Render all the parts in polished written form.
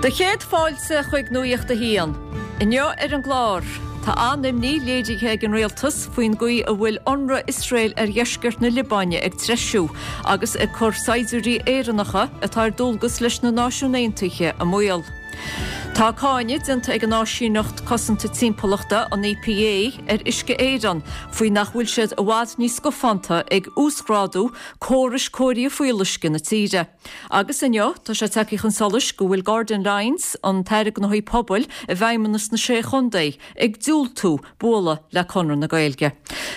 Do chéad fáilte chuig Nuacht a hAon. Inniu ar an gclár, tá an-imní léirithe ag an rialtas faoin gcaoi a bhfuil ionradh Iosrael ar dheisceart na Liobáine ag treisiú agus ag cur saighdiúirí Éireannacha atá ar dualgas leis na Náisiúin Aontaithe i mbaol. Tá cáineadh déanta ag an áisíneacht cosanta timpeallachta, an EPA, ar Uisce Éireann faoi nach bhfuil siad i bhfad níos scafánta ag uasghrádú córais cóirithe fuíolluisce na tíre. Agus inniu, tá sé tagtha chun solais go bhfuil Gordon Lyons, an tAire Gnóthaí Pobail i bhFeidhmeannas na Sé Chontae, ag diúltú bualadh le Conradh na Gaeilge.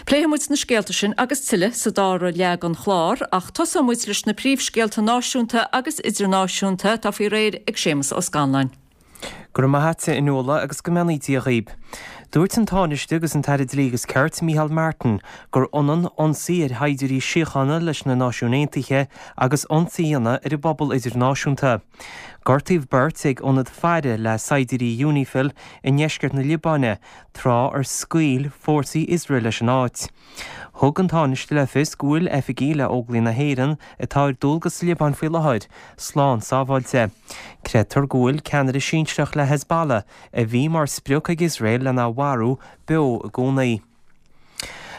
Pléifidh muid na scéalta sin agus tuilleadh sa dara leath den chlár, ach tosóidh muid leis na príomhscéalta náisiúnta agus idirnáisiúnta atá faoi réir ag Séamus Ó Scanláin. Go raibh maith a't, a Fhionnuala, agus go mbeannaí Dia dhaoib. Dúirt an Tánaiste agus an tAire Dlí agus Cirt, Micheál Martin, gur ionann ionsaí ar shaighdiúirí síochána leis na Náisiúin Aontaithe agus ionsaí a dhéanamh ar an bpobal idirnáisiúnta. Gortaíodh beirt ag ionad faire le saighdiúirí Unifil i ndeisceart na Liobáine tráth ar scaoil fórsaí Iosrael leis an áit. Thug an Tánaiste le fios go bhfuil oifigigh le Óglaigh na hÉireann atá ar dualgas sa Liobáin faoi láthair slán sábháilte. Creidtear go bhfuil ceannaire sinsearach le Hezbollah, a bhí mar sprioc ag Iosrael lena mharú, beo i gcónaí.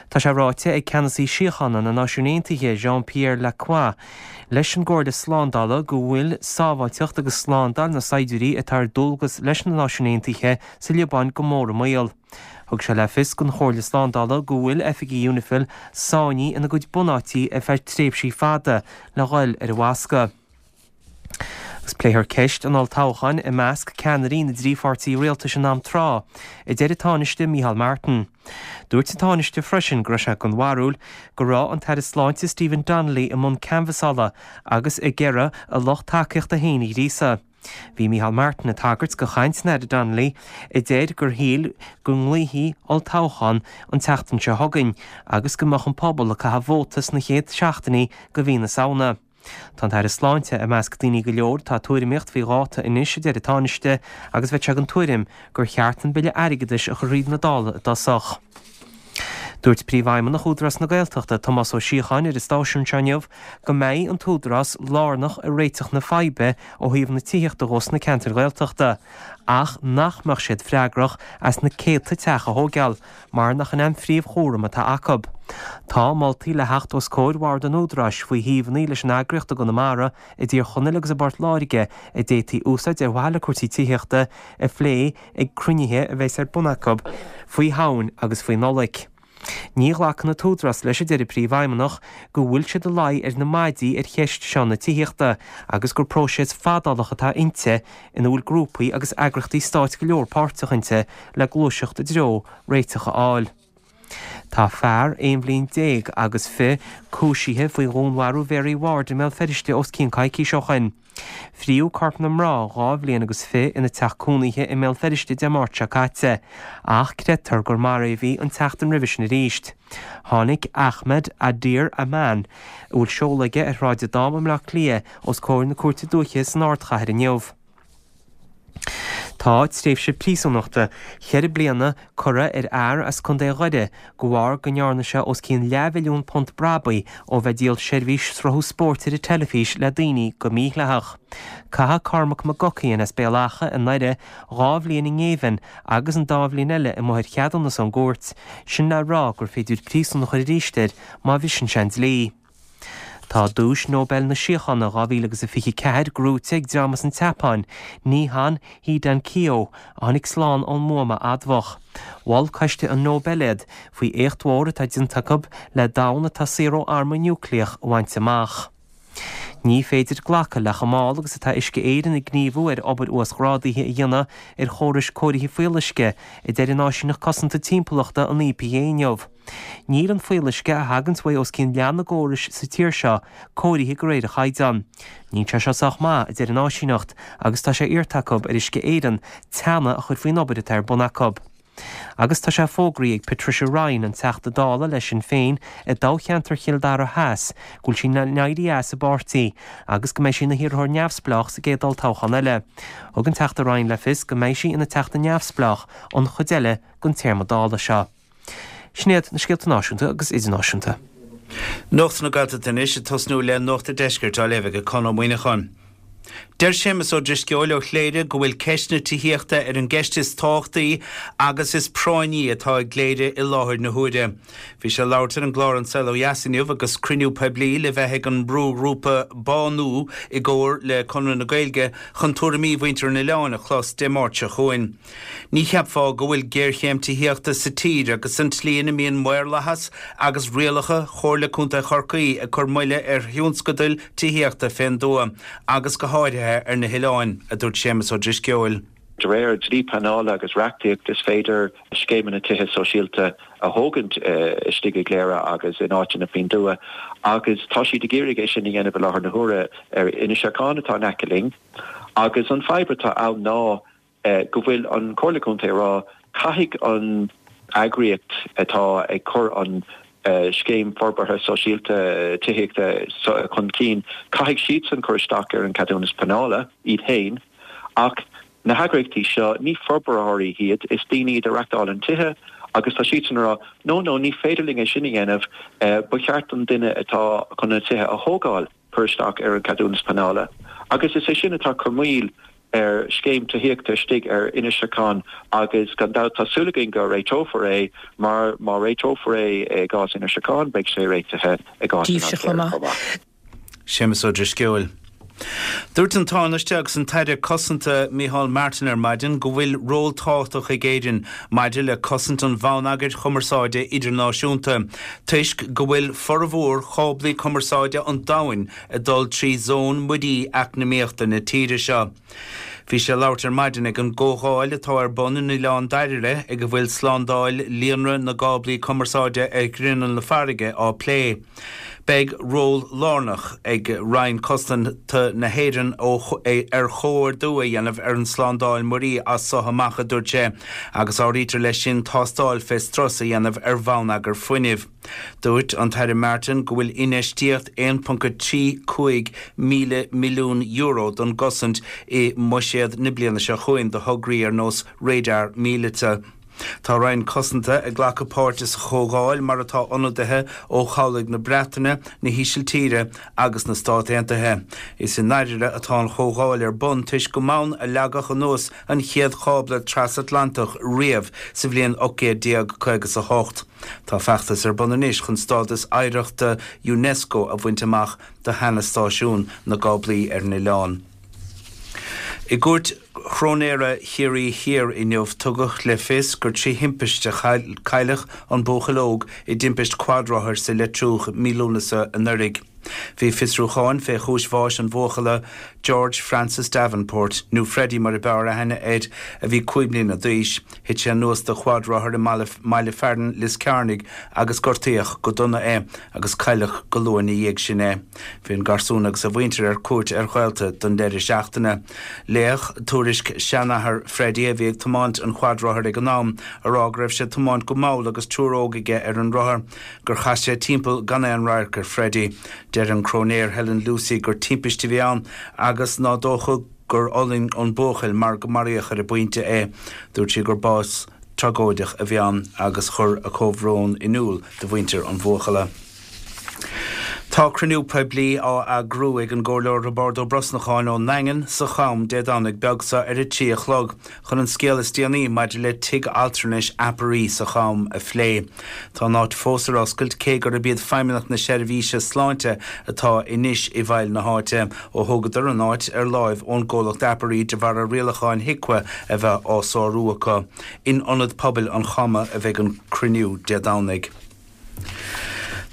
Tá sé ráite ag ceannasaí síochána na Náisiún Aontaithe, Jean-Pierre Lacroix, leis an gComhairle Slándála go bhfuil sábháilteacht agus slándáil na saighdiúirí atá ar dualgas leis na Náisiúin Aontaithe sa Liobáin go mór i mbaol. Thug sé le fios don Chomhairle Slándála go bhfuil oifigigh Unifil sáinnithe ina gcuid bunáití ar feadh tréimhsí fada le dhul ar an bhfoscadh. Agus pléifear ceist an olltoghcháin i measc ceannairí na dtrí pháirtí rialtais in am tráth, a deir an Tánaiste Micheál Martin. Dúirt an Tánaiste freisin go raibh sé den bharúil go raibh an tAire Sláinte Stephen Donnelly i mbun canbhasála agus ag iarraidh a lucht tacaíochta féin a ghríosadh. Bhí Micheál Martin ag tagairt do chaint an Aire Donnelly a deir gur shíl go nglaofaí olltoghchán an tseachtain seo chugainn agus go mbeadh an pobal ag caitheamh vóta sna chéad seachtainí de mhí na Samhna. Tá an tAire Sláinte i measc daoine go leor atá ag tuairimíocht faoi dháta anois, a deir an Tánaiste, agus bheadh sé den tuairim gur cheart an Bille Airgeadais a chur thríd na Dála i dtosach. Dúirt Príomhfheidhmeannach Údarás na Gaeltachta, Tomás Ó Síocháin ar an stáisiún seo inniu go mbeidh an tÚdarás lárnach i réiteach na faidhbe ó thaobh na tithíochta dhó sna ceantair Ghaeltachta ach nach mbeadh siad freagrach as na céadta teach a thóigeáil mar nach in é an phríomhchúram atá acu. Tá moltaí le theacht os comhair Bhord an Údaráis faoi shuíomhanna leis an eagraíocht i gConamara, i dTír Chonaill agus i bPort Láirge a d'fhéadfaí úsáid ar mhaithe le cúrsaí tithíochta a phlé ag cruinnithe a bheas ar bun acu faoi Shamhain agus faoi Nollaig. Ní ghlacann an tÚdarás leis, a deir an Príomhfheidhmeannach, go bhfuil siad ag luí ar na maidí ar cheist seo na tithíochta agus gur próiseas fadálach atá inti ina bhfuil grúpaí agus eagraíochtaí stáit go leor páirteach inti le gluaiseacht i dtreo réiteach a fháil. Tá fear aon bhliain déag agus fi cúisithe faoi dhúnmharú Mhary Ward i mBéal Feirste os cionn coicís ó shoin. Fríodh corp na mná 2 bhliain agus fi ina teach cónaithe i mBéal Feirste Dé Máirt seo caite, ach creidtear gur maraíodh í an tseachtain roimhe sin arís. Tháinig Ahmed Adir Aman, a bhfuil seoladh aige ar Shráid an Dám i mBleá Cliath, os comhair na Cúirte Dúiche san ardchathair inniu. Tá tréimhse príosúnachta cheithre bliana curtha ar fhear as Contae Dhoire de bharr go ndearna sé os cionn leathmhilliún punt brabaigh ó bheith ag díol seirbhís sruthú spóirt ar an teilifís le daoine go mídhleathach. Caitheadh Cormac McGuckian as Béal Átha i nDoire 2 bhliain i ngéibheann agus an dá bhliain eile amuigh ar cheadúnas ón gcúirt, sin le rá gur féidir príosún a chur arís air má bhriseann sé an dlí. Tá Duais Nobel na Síochána 2024 gnóite ag dream as an tSeapáin, Nihon Hidankyo, a tháinig slán ón mbuama admhach. Mhol Coiste an Nobel iad faoi éacht mhór atá déanta acu le domhan atá saor ó arma núicléach a bhaint amach. Ní féidir glacadh le chomh mall agus atá Uisce Éireann ag gníomhú ar obair uasghrádaithe a dhéanamh ar chórais cóirithe fuíolluisce, a deir an áisíneacht cosanta timpeallachta, an EPA inniu. Níl an fuíolluisce a thaganns uaidh os cionn leath na gcórais sa tír seo cóirithe de réir an chaighdeáin. Níl sé seo sách maith, a deir an áisíneacht, agus tá sé iarrta acu ar Uisce Éireann teannadh a chur faoin obair atá ar bun acu. Agus tá sé fógraithe ag Patricia Ryan, an Teachta Dála le Sinn Féin i dtoghcheantar Chill Dara Theas, go bhfuil sí in éirí as an bpáirtí agus go mbeidh sí ina hiarrthóir neamhspleách sa gcéad olltoghchán eile. Thug an Teachta Ryan le fios go mbeidh sí ina Teachta neamhspleách an chuid eile den téarma Dála seo. Sin iad na scéalta náisiúnta agus idirnáisiúnta. Nuacht na Gaeltachta anois, ag tosnú le Nuacht an Deiscirt á léamh ag Conn Ó Muíneacháin. Deir Séamus Ó Drisceoil ó Chléire go bhfuil ceist na tithíochta ar an gceist is tábhachtaí agus is práinní atá i gCléire i láthair na huaire. Bhí sé ag labhairt ar an gclár An Saol Ó Dheas inniu agus cruinniú poiblí le bheith ag an mbrúghrúpa Bánú i gcomhar le Conradh na Gaeilge chun tuairimí mhuintir an oileáin a chlos Dé Máirt seo chugainn. Ní cheapfá go bhfuil géarchéim tithíochta sa tír agus an tslí ina mbíonn maorlathas agus rialacha Chomhairle Contae Chorcaí ag cur moille ar thionscadail tithíochta fén dtuath agus go háirithe ar na hoileáin, a dúirt Séamus Ó Drisceoil. De réir dlí pleanála agus reachtaíocht is féidir scéimeanna tithe sóisialta a thógaint istigh i gCléire agus in áiteanna faoin dtuath agus tá siad ag iarraidh é sin a dhéanamh i láthair na huaire ar Inis Ceithleann atá in aice linn agus an fadhb atá ann ná go bhfuil an Chomhairle Contae ag rá caithfidh an eagraíocht atá ag cur an scéim forbartha sóisialta tithíochta chun cinn, caithfidh siadsan cur isteach ar an cheadúnas pleanála iad féin ach na heagraíochtaí seo, ní forbróirí iad, is daoine iad a reachtálann tithe agus tá siadsan ag rá no, no, ní féidir linn é sin a dhéanamh, ba cheart don duine atá chun na tithe a thógáil. cur isteach ar an cheadúnas pleanála agus is é sin atá ag cur moill ar scéim tithíochta istigh ar Inis Ceithleann agus gan dabht tá súil againn go réiteofar é mar má réiteofar é i gcás Inis Ceithleann beidh sé réitithe i gcás Oileán Chléire chomh maith. Séamus Ó Drisceoil. Dúirt an Tánaiste agus an tAire Cosanta Micheál Martin ar maidin go bhfuil ról tábhachtach ag Éirinn maidir le cosaint an bhonneagair chumarsáide idirnáisiúnta toisc go bhfuil formhór cháblaí cumarsáide an domhain ag dul trí zón muirí eacnamaíochta na tíre seo. Bhí sé ag labhairt ar maidin ag an gcomhdháil atá ar bun in Oileán Dairbhre ag a bhfuil slándáil líonra na gcáblaí cumarsáide ar ghrinneall na farraige á plé. Beidh ról lárnach ag Roinn Cosanta na hÉireann ar chomhordú a dhéanamh ar an tslándáil muirí as so amach, a dúirt sé, agus áirítear leis sin tástáil fé strus a dhéanamh ar bhonneagar fuinnimh. Dúirt an tAire Martin go bhfuil infheistíocht €1.35 míle milliún don gcosaint i mbuiséad na bliana seo chugainn do thograí ar nós radar míleata. Tá Roinn Cosanta ag glacadh páirte sa chomhdháil mar atá ionadaithe ó chabhlaigh na Breataine, na hÍsiltíre agus na Stát Aontaithe. Is i nDairire atá an chomhdháil ar bun toisc go mb'ann a leagadh anuas an chéad chábla trasatlantach riamh sa bhliain 1858. Tá feachtas ar bun anois chun stádas oidhreachta Unesco a bhaint amach do sheana-stáisiún na gcáblaí ar an oileán. I gCúirt Chróinéara Chiarraí Thiar inniu tugadh le fios gur trí thimpiste a cailleadh an buachaill óg i dtimpist quadrothair sa Leitriúch mí Lúnasa anuraidh. Bhí fiosrúcháin fé chúis bháis an bhuachalla, George Francis Davenport, nó Freddie mar a b'fhearr aithne air, a bhí 5 mbliana d'aois. Thit sé anuas de quadrothar i mbaile fearainn Lios Cearnaigh agus gortaíodh go dona é agus cailleadh go luath ina dhiaidh sin é. Bhí an garsún agus a mhuintir ar cuairt ar ghaolta don deireadh seachtaine. Léadh tuairisc seanathar Freddie, a bhí ag tiomáint an quadrothair ag an am, a rá go raibh sé ag tiomáint go mall agus triúr óg aige ar an rothar, gur chas sé timpeall gan aon radharc ar Freddie. Deir an Cróinéir Helen Lucey gur timpiste a bhí ann agus ná dócha gur fhulaing an buachaill mar go maraíodh ar an bpointe é. Dúirt sí gur bás tragóideach a bhí ann agus chuir a comhbhrón in iúl do mhuintir an bhuachalla. Tá cruinniú poiblí á eagrú ag an gComhairleoir Roibeárd Ó Brosnacháin ón nDaingean sa Cham Dé Domhnaigh beag seo ar a 3 a chlog chun an scéal is déanaí maidir le Tigh Altranais Aperee sa Cham a phlé. Tá an áit fós ar oscailt cé gurb iad Feidhmeannacht na Seirbhíse Sláinte atá anois i bhfeighil na háite ó thógadar an áit ar láimh ón gcomhlacht Aperee de bharr rialacháin HIQA a bheith á sárú acu. In Ionad Pobail an Chama a bheidh an cruinniú Dé Domhnaigh.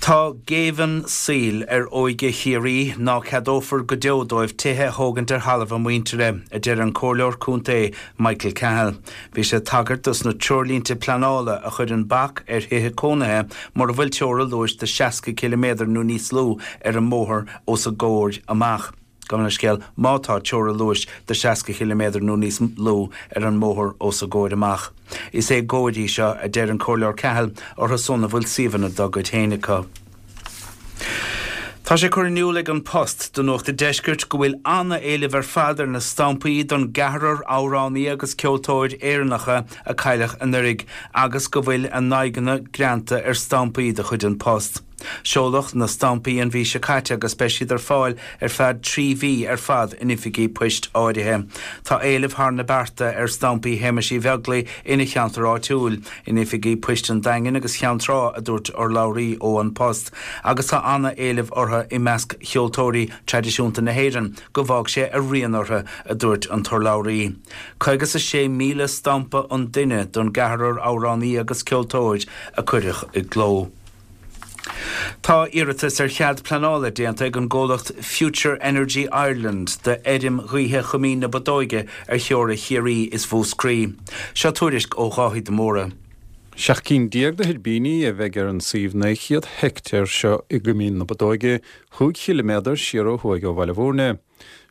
Tá géibheann saoil ar óige Chiarraí ná ceadófar go deo dóibh tithe a thógaint ar thalamh a muintire, a deir an Comhairleoir Contae Michael Cahill. Bhí sé ag tagairt dos na treoirlínte pleanála a chuireann bac ar thithe cónaithe mura bhfuil teora luais de 60 ciliméadar nó níos lú ar an mbóthar os a gcomhair amach. Gabh mo leithscéal, má tá teora luais de 60 chiliméadar nó níos lú ar an mbóthar os a gcomhair amach. Is éagóir í seo, a deir an Comhairleoir Cahill, orthu san a bhfuil suíomhanna dá gcuid féin acu. Tá sé curtha in iúl ag An Post do Nuacht an Deiscirt go bhfuil ana-éileamh ar fad ar na stampaí don gceathrar amhránaí agus ceoltóir Éireannacha a cailleadh anuraidh agus go bhfuil a n-aghaidheanna greanta ar stampaí de chuid An Post. Seoladh na stampaí an mhí seo caite agus beidh siad ar fáil ar feadh 3 mhí ar fad in oifigí poist áirithe. Tá éileamh thar na bearta ar stampaí Shéamais Uí Bheaglaoich ina cheantar áitiúil, in oifigí poist an Daingin agus Cheann Trá, a dúirt urlabhraí ó An Post, agus tá ana-éileamh orthu i measc cheoltóirí traidisiúnta na hÉireann go bhfág sé a rian orthu, a dúirt an t-urlabhraí. 56,000 stampa an duine don gceathrar amhránaí agus ceoltóir a cuireadh i gcló. Tá iarratas ar chead pleanála déanta ag an gcomhlacht Future Energy Ireland d'fheirm ghaoithe Choimín na Bodóige ar theora Chiarraí is Mhúscraí. Seo tuairisc ó Dháithí de Mórdha. 17 cinn de thuirbíní a bheidh ar an suíomh 900 heicteár seo i gCoimín na Bodóige, chúig chiliméadar siar ó thuaidh ó Bhaile Bhúirne.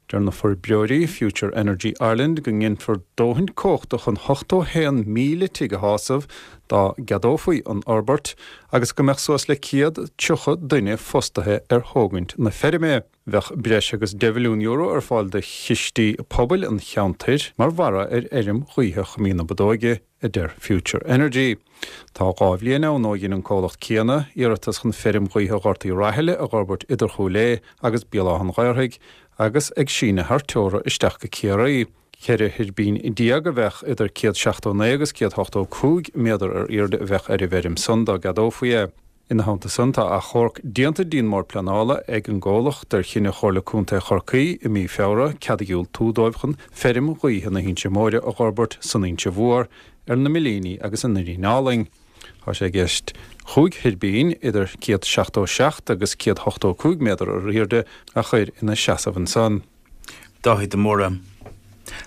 Deir na forbróirí, Future Energy Ireland, go nginfear dóthain cumhachta chun 81,000 tigh a shásamh dá gceadófaí an fhorbairt agus go mbeadh suas le 130 duine fostaithe ar thógaint na feirme. Bheadh breis agus €10 mhilliún ar fáil do chistí pobail an cheantair mar bharra ar fheirm ghaoithe Choimín na Bodóige. a deir Future Energy. Tá 2 bhliain ann ó dhein an comhlacht céanna iarratas chun feirm ghaoithe Ghort Uí Rathaille a dh'fhorbairt idir Chúil Aodha agus Béal Átha an Ghaorthaidh agus ag síneadh thar teora isteach go Ciarraí. 14 thuirbín a bheadh idir 179 agus 185 méadar ar airde a bheadh ar an bhfeirm san dá gceadófaí é. Ina theannta san, tá achomharc déanta dtí'n mBord Pleanála ag an gcomhlacht ar chinneadh Chomhairle Contae Chorcaí i mí Feabhra cead a dhiúltú dóibh chun feirm ghaoithe na hInse Móire a dh'fhorbairt san Inse Mhór ar na Millíní agus i nDoirín Álainn. Tá sé i gceist chúig thuirbín idir 177 agus 185 méadar ar airde a chur ina seasamh ansan. Dáithí de Mórdha.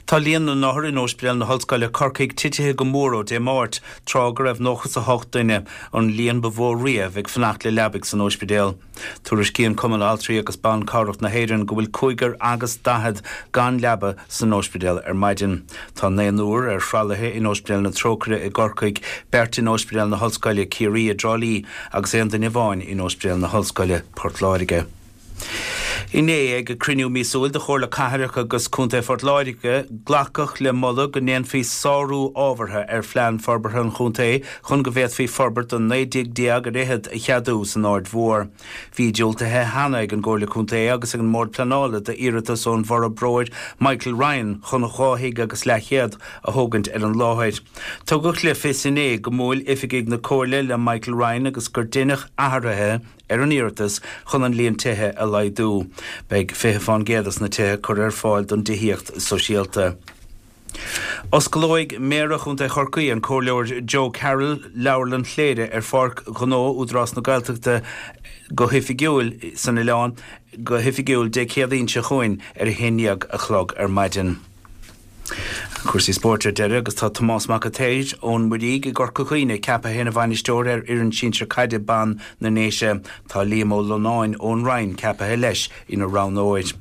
Tá líon na n-othar in Ospidéal na hOllscoile Corcaigh titithe go mór ó Dé Máirt, tráth go raibh 98 duine, an líon ba mhó riamh, ag fanacht le leabaidh san ospidéal. Tuairiscíonn Cumann Altraí agus Ban Cabhrach na hÉireann go bhfuil cúigear agus 40 gan leaba san ospidéal ar maidin. Tá naonúr ar thralaithe in Ospidéal na Trócaire i gCorcaigh, beirt in Ospidéal na hOllscoile Ciarraí i dTrá Lí agus aon duine amháin in Ospidéal na hOllscoile Port Láirge. Inné, ag cruinniú míosúil de Chomhairle Cathrach agus Contae Phort Láirge, glacadh le moladh go ndéanfaí sárú ábhartha ar Phlean Forbartha an Chontae chun go bhféadfaí forbairt do 19 dtigh ar fhichead a cheadú san Aird Mhór. Bhí diúltaithe cheana ag an gComhairle Contae agus ag an mBord Pleanála d'iarratas ón bhforbróir Michael Ryan chun dhá thigh agus leathchéad a thógaint ar an láthair. Tugadh le fios inné go mbuail oifigigh na Comhairle le Michael Ryan agus gur deineadh athruithe ar an iarratas chun an líon tithe a laghdú. Beidh 20 fán gcéad des na tithe curtha ar fáil don dtithíocht sóisialta. Osclóidh Méara Chontae Chorcaí, an Comhairleoir Joe Carroll, Leabharlann Chléire ar Pháirc Ghnó Údarás na Gaeltachta go hoifigiúil san oileán go hoifigiúil Dé Céadaoin seo chugainn ar a haon dhéag a chlog ar maidin. Cúrsaí spóirt ar deireadh agus tá Tomás Mac an tSaoir ón Muirígh i gCorca Dhuibhne ceaptha ina bhainisteoir ar fhoireann sinsir caide ban na nDéise. Tá Liam Ó Lonáin ón Rinn ceaptha leis ina roghnóir.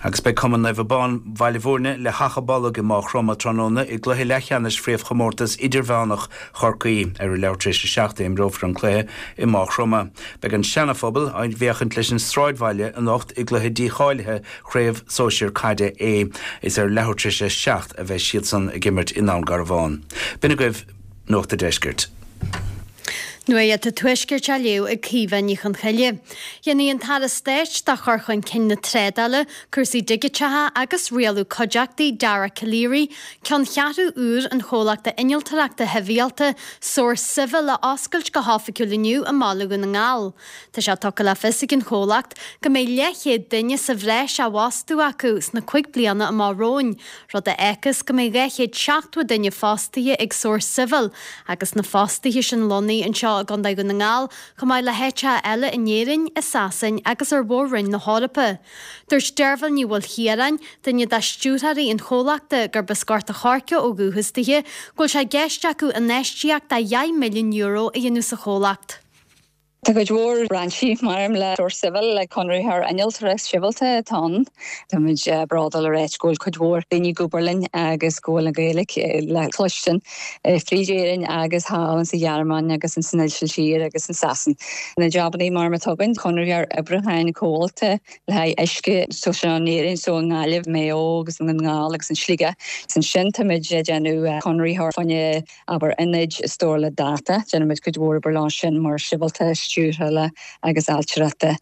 Agus beidh Cumann Naomh Abán Bhaile Bhúirne le hAchadh Bolg i Máigh Chromtha tráthnóna i gcluiche leathcheannais Chraobhchomórtas Idirmheánach Chorcaí. Ar a leathuair tar éis a 7 a imreofar an cluiche i Máigh Chromtha. Beidh an Seana-Phobal ag féachaint leis an Sráidbhaile anocht i gcluiche dícháilithe Craobh Sóisir Caide A. Is ar leathuair tar éis a 7 a bheidh siadsan ag imirt i nDún Garbhán. B'in agaibh Nuacht a' Deiscirt. Nuacht an Tuaiscirt á léamh ag Caoimhe Ní Chonchoille. Déanfaidh an tAire Stáit do chur chun cinn na trádála, cúrsaí digiteacha agus rialú cuideachtaí, Dara Calleary, ceanncheathrú úr an chomhlachta innealtóireachta shibhialta, Source Civil a oscailt go hoifigiúil inniu i mBaile Dhún na nGall. Tá sé tugtha le fios ag an chomhlacht go mbeidh leathchéad duine sa bhreis á bhfostú acu sna cuig bliana amach romhainn, rud a fhágfas go mbeidh 270 duine fostaithe ag Source Civil agus na fostaithe sin lonnaithe anseo i gContae Dhún na nGall chomh maith le háiteacha eile in Éirinn, i Sasain agus ar mhór-roinn na hEorpa. Dúirt Deirbhile Ní Mhaoilchiaráin, duine de stiúrthóirí an chomhlachta, gurb as Gort a' Choirce ó dhúchas dithe, go bhfuil sé i gceist acu infheistíocht de €10 milliún a dhéanamh sa chomhlacht. Tá cuid mhór brainsí mar le Source Civil, le conraitheoir innealtóireacht sibhialta atá ann. Táimid bródúil a ráit go bhfuil cuid mhór daoine ag obair linn agus go bhfuil an Ghaeilge le cloistin fríd Éirinn agus thall sa Ghearmáin agus in san Ísiltír agus in Sasain. Na jabannaí mar atá againn, conraitheoir oibriúcháin comhalta le haghaidh uisce so sin in Éirinn so i nGaillimh, Maigh Eo agus i nDún na nGall agus in Sligeach. Ansin táimid ag déanamh conraitheoir fá choinne abair ionaid stórála data. Déanaimid cuid mhór obair leo sin mar sibhialta. stiúrthála agus ailtireachta.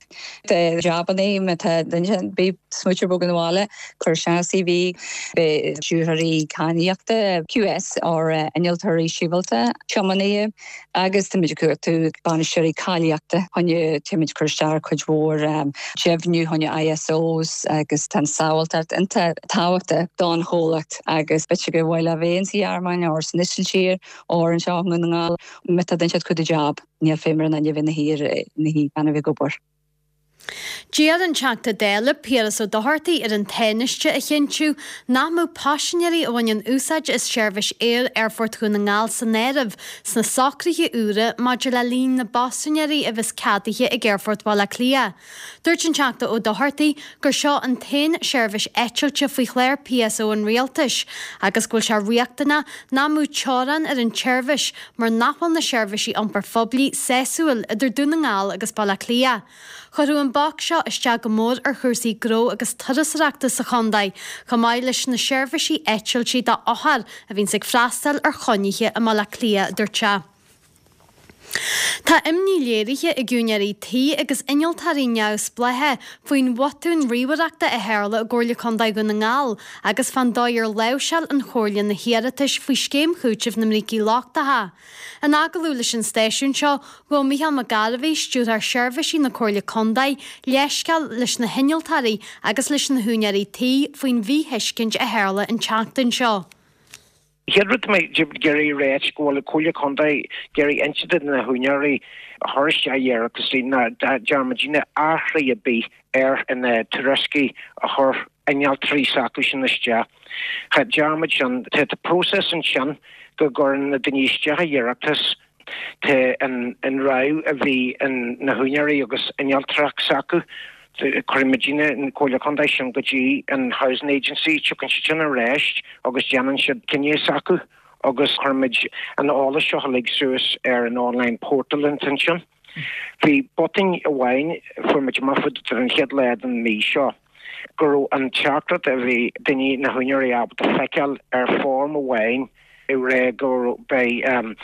Tá jabannaí má tá duine ar bith ag smaoitiú bogadh 'na bhaile, cuir isteach CV, beidh stiúrthóirí cadhnaíochta, QS or innealtóirí sibhialta, tiománaithe agus táimid ag cuartú bainisteoirí cáilíochta choinne táimid ag cur isteach ar cuid mhór deimhniú choinne ISOs agus tá an sábháilteacht iontach tábhachtach don chomhlacht agus b'fhéidir gur mhaith leo a bheith sa Ghearmáin or san Ísiltír or anseo i nDún na nGall má tá duine ag cuartú jab. Níl feidhm ar an duine a bheith ina shuí gan a bheith ag obair. D'iarr an Teachta Dála Piaras Ó Dochartaigh ar an Tánaiste a chinntiú nach mbeadh paisinéirí a bhaineann úsáid as seirbhís aeir Aerfort Dhún na nGall san áireamh sna socruithe úra maidir le líon na bpaisinéirí a bheas ceadaithe ag Aerfort Bhaile Átha Cliath. Dúirt an Teachta Ó Dochartaigh gur seo an t-aon seirbhís eitilte faoi chlár PSO an Rialtais agus go bhfuil sé riachtanach nach mbeadh teorainn ar an tseirbhís mar nach bhfuil na seirbhísí iompair phoiblí sásúil idir Dún na nGall agus Baile Átha Cliath. Chuirfeadh an bac seo isteach go mór ar chúrsaí gnó agus turasóireachta sa chontae, chomh maith leis na seirbhísí eitiltí d'othair a bhíonns ag freastal ar chónaithe i mBaile Átha Cliath, a dúirt sé. Tá imní léirithe ag úinéirí tí agus innealtóirí neamhspleácha faoin bhotún ríomhaireachta a tharla i gComhairle Contae Dhún na nGall agus fán dóigh ar láimhseáil an Chomhairle na hiarratais faoi Scéim Chúitimh na mBrící Lochtacha. In agallamh leis an stáisiún seo, ghabh Micheál Mac Gairbheith, Stiúrthóir Seirbhísí na Comhairle Contae, leithscéal leis na hinnealtóirí agus leis na húinéirí tí faoin mhíthuiscint a tharla an tseachtain seo. Chéad rud tá mé ag iarraidh a ráit go bhfuil an Comhairle Contae ag iarraidh inse do na húinéirí a chuir isteach iarrataisí ná dearn muidinne athrú ar bith ar na tuairiscí a chuir innealtóirí s'acu sin isteach. Cha dearn muid sin. Tá próiseas ansin go gcuireann na daoine isteach a iarratas. Tá an rogha a bhí ag na húinéirí agus innealtóireacht s'acu. Cuireann muidinne, an Comhairle Contae, sin go dtí an Housing Agency, tiocfaidh siad sin ar ais agus déanann siad cinneadh s'acu agus cuireann muid an eolas seo uilig suas ar an online portal ansin. Bhí botún amháin, fuair muid amach faoi ar an chéad lá den mhí seo, go raibh an teachtaireacht a bhí daoine, na húinéirí ábalta feiceáil ar form amháin ag rá go beidh an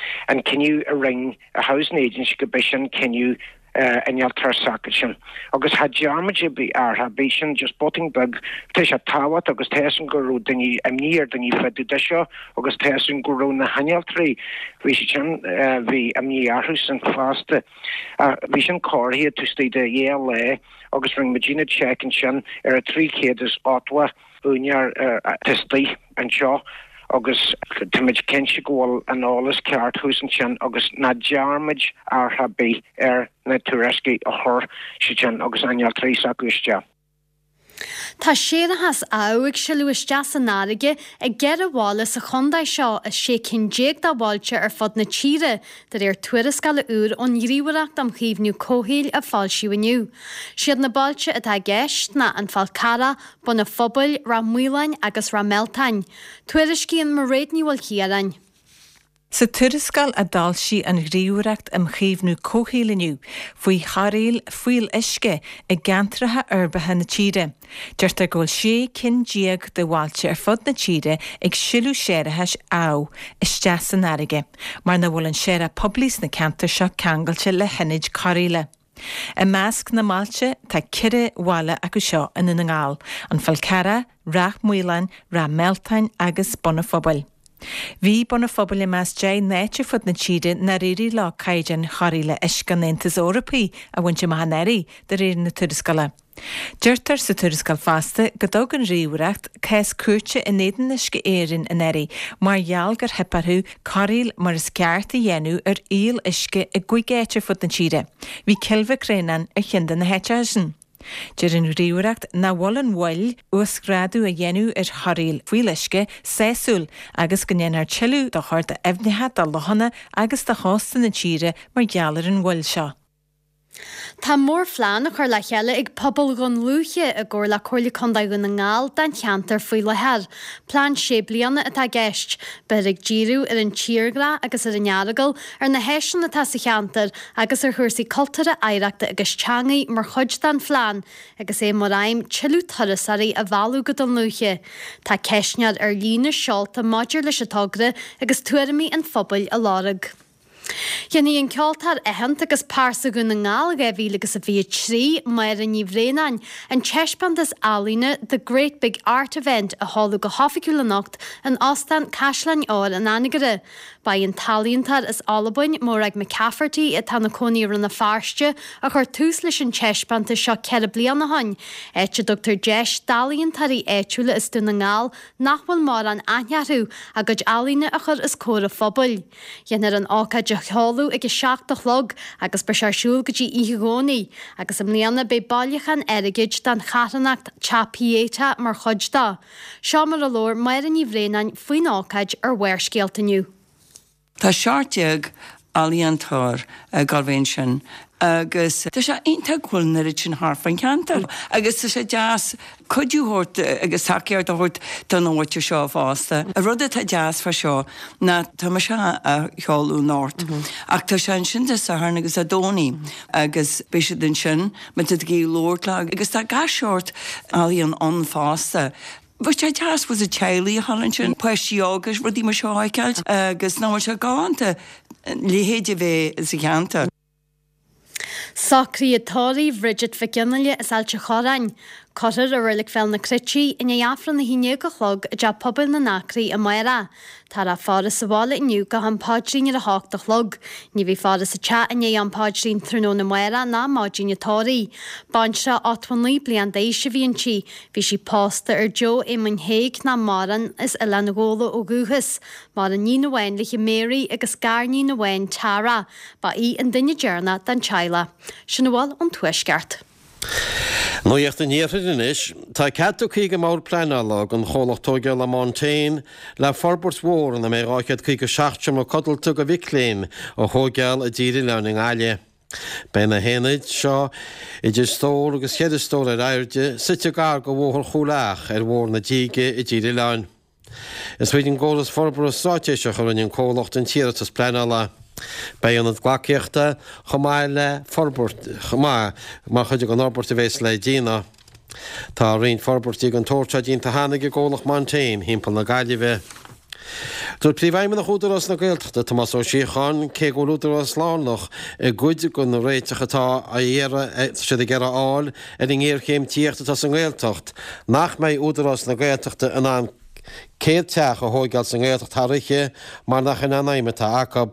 cinneadh a rinne an Housing Agency go b'é sin cinneadh innealtóir s'acu sin. Agus cha dearn muid ar bith athrú ar bith sin just botún beag. Tá sé tábhachtach agus tá fhios agam go raibh daoine imní ar daoine fá dtaobh de seo agus tá fhios agam go raibh na hinnealtóirí bhí siad sin bhí imní orthu sin fosta. Ach bhí sin cóirithe taobh istigh de dhá lá agus rinne muidinne check ansin ar a 380 úinéir atá istigh anseo agus táimid cinnte go bhfuil an eolas ceart thuas ansin agus ná dearn muid athrú ar bith ar na tuairiscí a chuir siad sin agus innealtóirí s'acu isteach. Tá séarachas amh ag sileadh isteach san fharraige i gceithre bhaile sa chontae seo as 16 cinn de bhailte ar fud na tíre, de réir tuarascála úr ón nGníomhaireacht um Chaomhnú Comhshaoil a foilsíodh inniu. Siad na bailte atá i gceist ná An Fál Carrach, Bun a' Phobail, Ráth Maoláin agus Ráth Mealtain. Tuairiscíonn Mairéad Ní Mhaoilchiaráin. Sa tuarascáil a d'fhoilsigh an Ghníomhaireacht um Chaomhnú Comhshaoil inniu faoi chorraíl fuíolluisce i gceantracha uirbeacha na tíre, deirtear go bhfuil 16 cinn de bhailte ar fud na tíre ag sileadh séarachais amh isteach san fharraige mar nach bhfuil an séarach poiblí sna ceantair seo ceangailte le hionaid cóireála. I measc na mbailte tá ceithre bhaile acu seo i nDún na nGall, An Fál Carrach, Ráth Maoláin, Ráth Mealtain agus Bun a' Phobail. Bhí Bun a' Phobail i measc 10 n-áit ar fud na tíre nár éirigh leo caighdeáin chóireála uisce an Aontais Eorpaigh a bhaint amach anuraidh, de réir na tuarascála. Deirtear sa tuarascáil fosta go dtug an Ghníomhaireacht cás cúirte in éadan Uisce Éireann anuraidh mar gheall gur theip orthu cóireáil mar is ceart a dhéanamh ar fhuíoll uisce i gcúig áit ar fud na tíre. Bhí Cill Mhic Réanáin ar cheann de na háiteacha sin. Deir an Ghníomhaireacht nach bhfuil an mhoill uasghrádú a dhéanamh ar chóireáil fuíolluisce sásúil agus go ndéanfar tuilleadh dochair d'aibhneacha, do lochanna agus do chósta na tíre mar gheall ar an mhoill seo. Tá mórphlean á chur le chéile ag pobal Dhún Lúiche i gcomhar le Comhairle Contae Dhún na nGall don cheantar faoi láthair. Plean sé bliana atá i gceist. Beifear ag díriú ar an tírdhreach agus ar an Earagail, ar na háiseanna atá sa cheantar agus ar chúrsaí cultúrtha, oidhreachta agus teangaí mar chuid den phlean agus é mar aidhm tuilleadh turasóirí a mhealladh go Dún Lúiche. Tá ceistneoir ar líne seolta maidir leis an togra agus tuairimí an phobail á lorg. Déanfaidh an ceoltóir aitheanta agus Pearsa Dhún na nGall 2000 agus a 23, Máire Ní Bhraonáin, an taispeántas ealaíne 'The Great Big Art Event' a sheoladh go hoifigiúil anocht in Óstán Caisleáin Óir an Anagaire. Ba í an t-ealaíontóir as Albain, Morag McCafferty, atá ina cónaí i Rann na Feirste, a chuir tús leis an taispeántas seo 4 bliana ó shin, áit a dtugtar deis d'ealaíontóirí áitiúla as Dún na nGall nach bhfuil mórán aithne orthu, a gcuid ealaíne a chur os comhair an phobail. Déanfar an ócáid a sheoladh ag a 7 a chlog agus beidh sé ar siúl go dtí oíche Dhomhnaigh, agus i mbliana beidh bailiúchán airgid don charthanacht Teach Pieta mar chuid de. Seo mar a labhair Máire Ní Bhraonáin faoin ócáid ar Bharrscéalta inniu. Tá 17 ealaíontóir ag gabháil a bheith ansin agus tá sé iontach go bhfuil an oiread sin thart fán cheantar agus tá sé deas cuidiú a thabhairt agus tacaíocht a thabhairt don mhuintir seo fosta. An rud atá deas fá seo ná tá mise á sheoladh anocht ach tá sé ansin Dé Sathairn agus Dé Domhnaigh agus beidh siad ansin má tá tú ag iarraidh labhairt leo agus tá gach seort ealaíon ann fosta. Bheadh sé deas bhfuil teaghlaigh a dhul ansin, páistí óga, rudaí mar seo a fheiceáil agus nach bhfuil sé galánta a leithéid a bheith sa cheantar. Socruithe tórraimh Bhridget Mhic Fhionnghaile as Ailt an Chorráin. Cuirfear i Reilig Bhéal na Cruite í i ndiaidh Aifreann 11 a chlog i dTeach Pobail na nAcraí amárach. Táthar á faire sa bhaile inniu go ham paidrín ar a hocht a chlog. Ní bheidh faire sa teach i ndiaidh am paidrín tráthnóna amárach ná maidin an tórraimh. Baintreach 89 bliain d'aois a bhí inti. Bhí sí pósta ar Joe Éamoinn Thaidhg nach maireann as Oileán Ghabhla ó dhúchas. Maireann níon amháin léi Mary agus garníon amháin Tara. Ba í an duine deireanach den teaghlach. Sin a bhfuil ón Tuaisceart. Nuacht an Iarthair anois. Tá cead tugtha ag an mBord Pleanála don chomhlacht tóigeála Montane le forbairt mhór ina mbeidh 257 seomra codlata do mhic léinn a thóigeáil i dTír Oileáin i nGaillimh. Beidh na haonaid seo, idir stór agus cheithre stór ar airde, suite gar do Bhóthar Chúil Each ar Bhóthar na Díge i dTír Oileáin. Is tríd an gcóras forbartha straitéiseach a rinne an comhlacht an t-iarratas pleanála. Beidh ionad gleacaíochta chomh maith le forbairt chomh maith mar chuid den fhorbairt a bhéas le déanamh. Tá roinnt forbairtí den tsórt seo déanta cheana ag an gcomhlacht Montane thimpeall na Gaillimhe. Dúirt Príomhfheidhmeannach Údarás na Gaeltachta, Tomás Ó Síocháin, cé go bhfuil Údarás lárnach i gcuid de na réiteach atá á iarraidh siad ag iarraidh a fháil ar an ngéarchéim tithíochta atá sa nGaeltacht, nach mbeidh Údarás na Gaeltachta in ann 100 teach a thóigeáil sa nGaeltacht thar oíche mar nach in an fheidhm atá acu.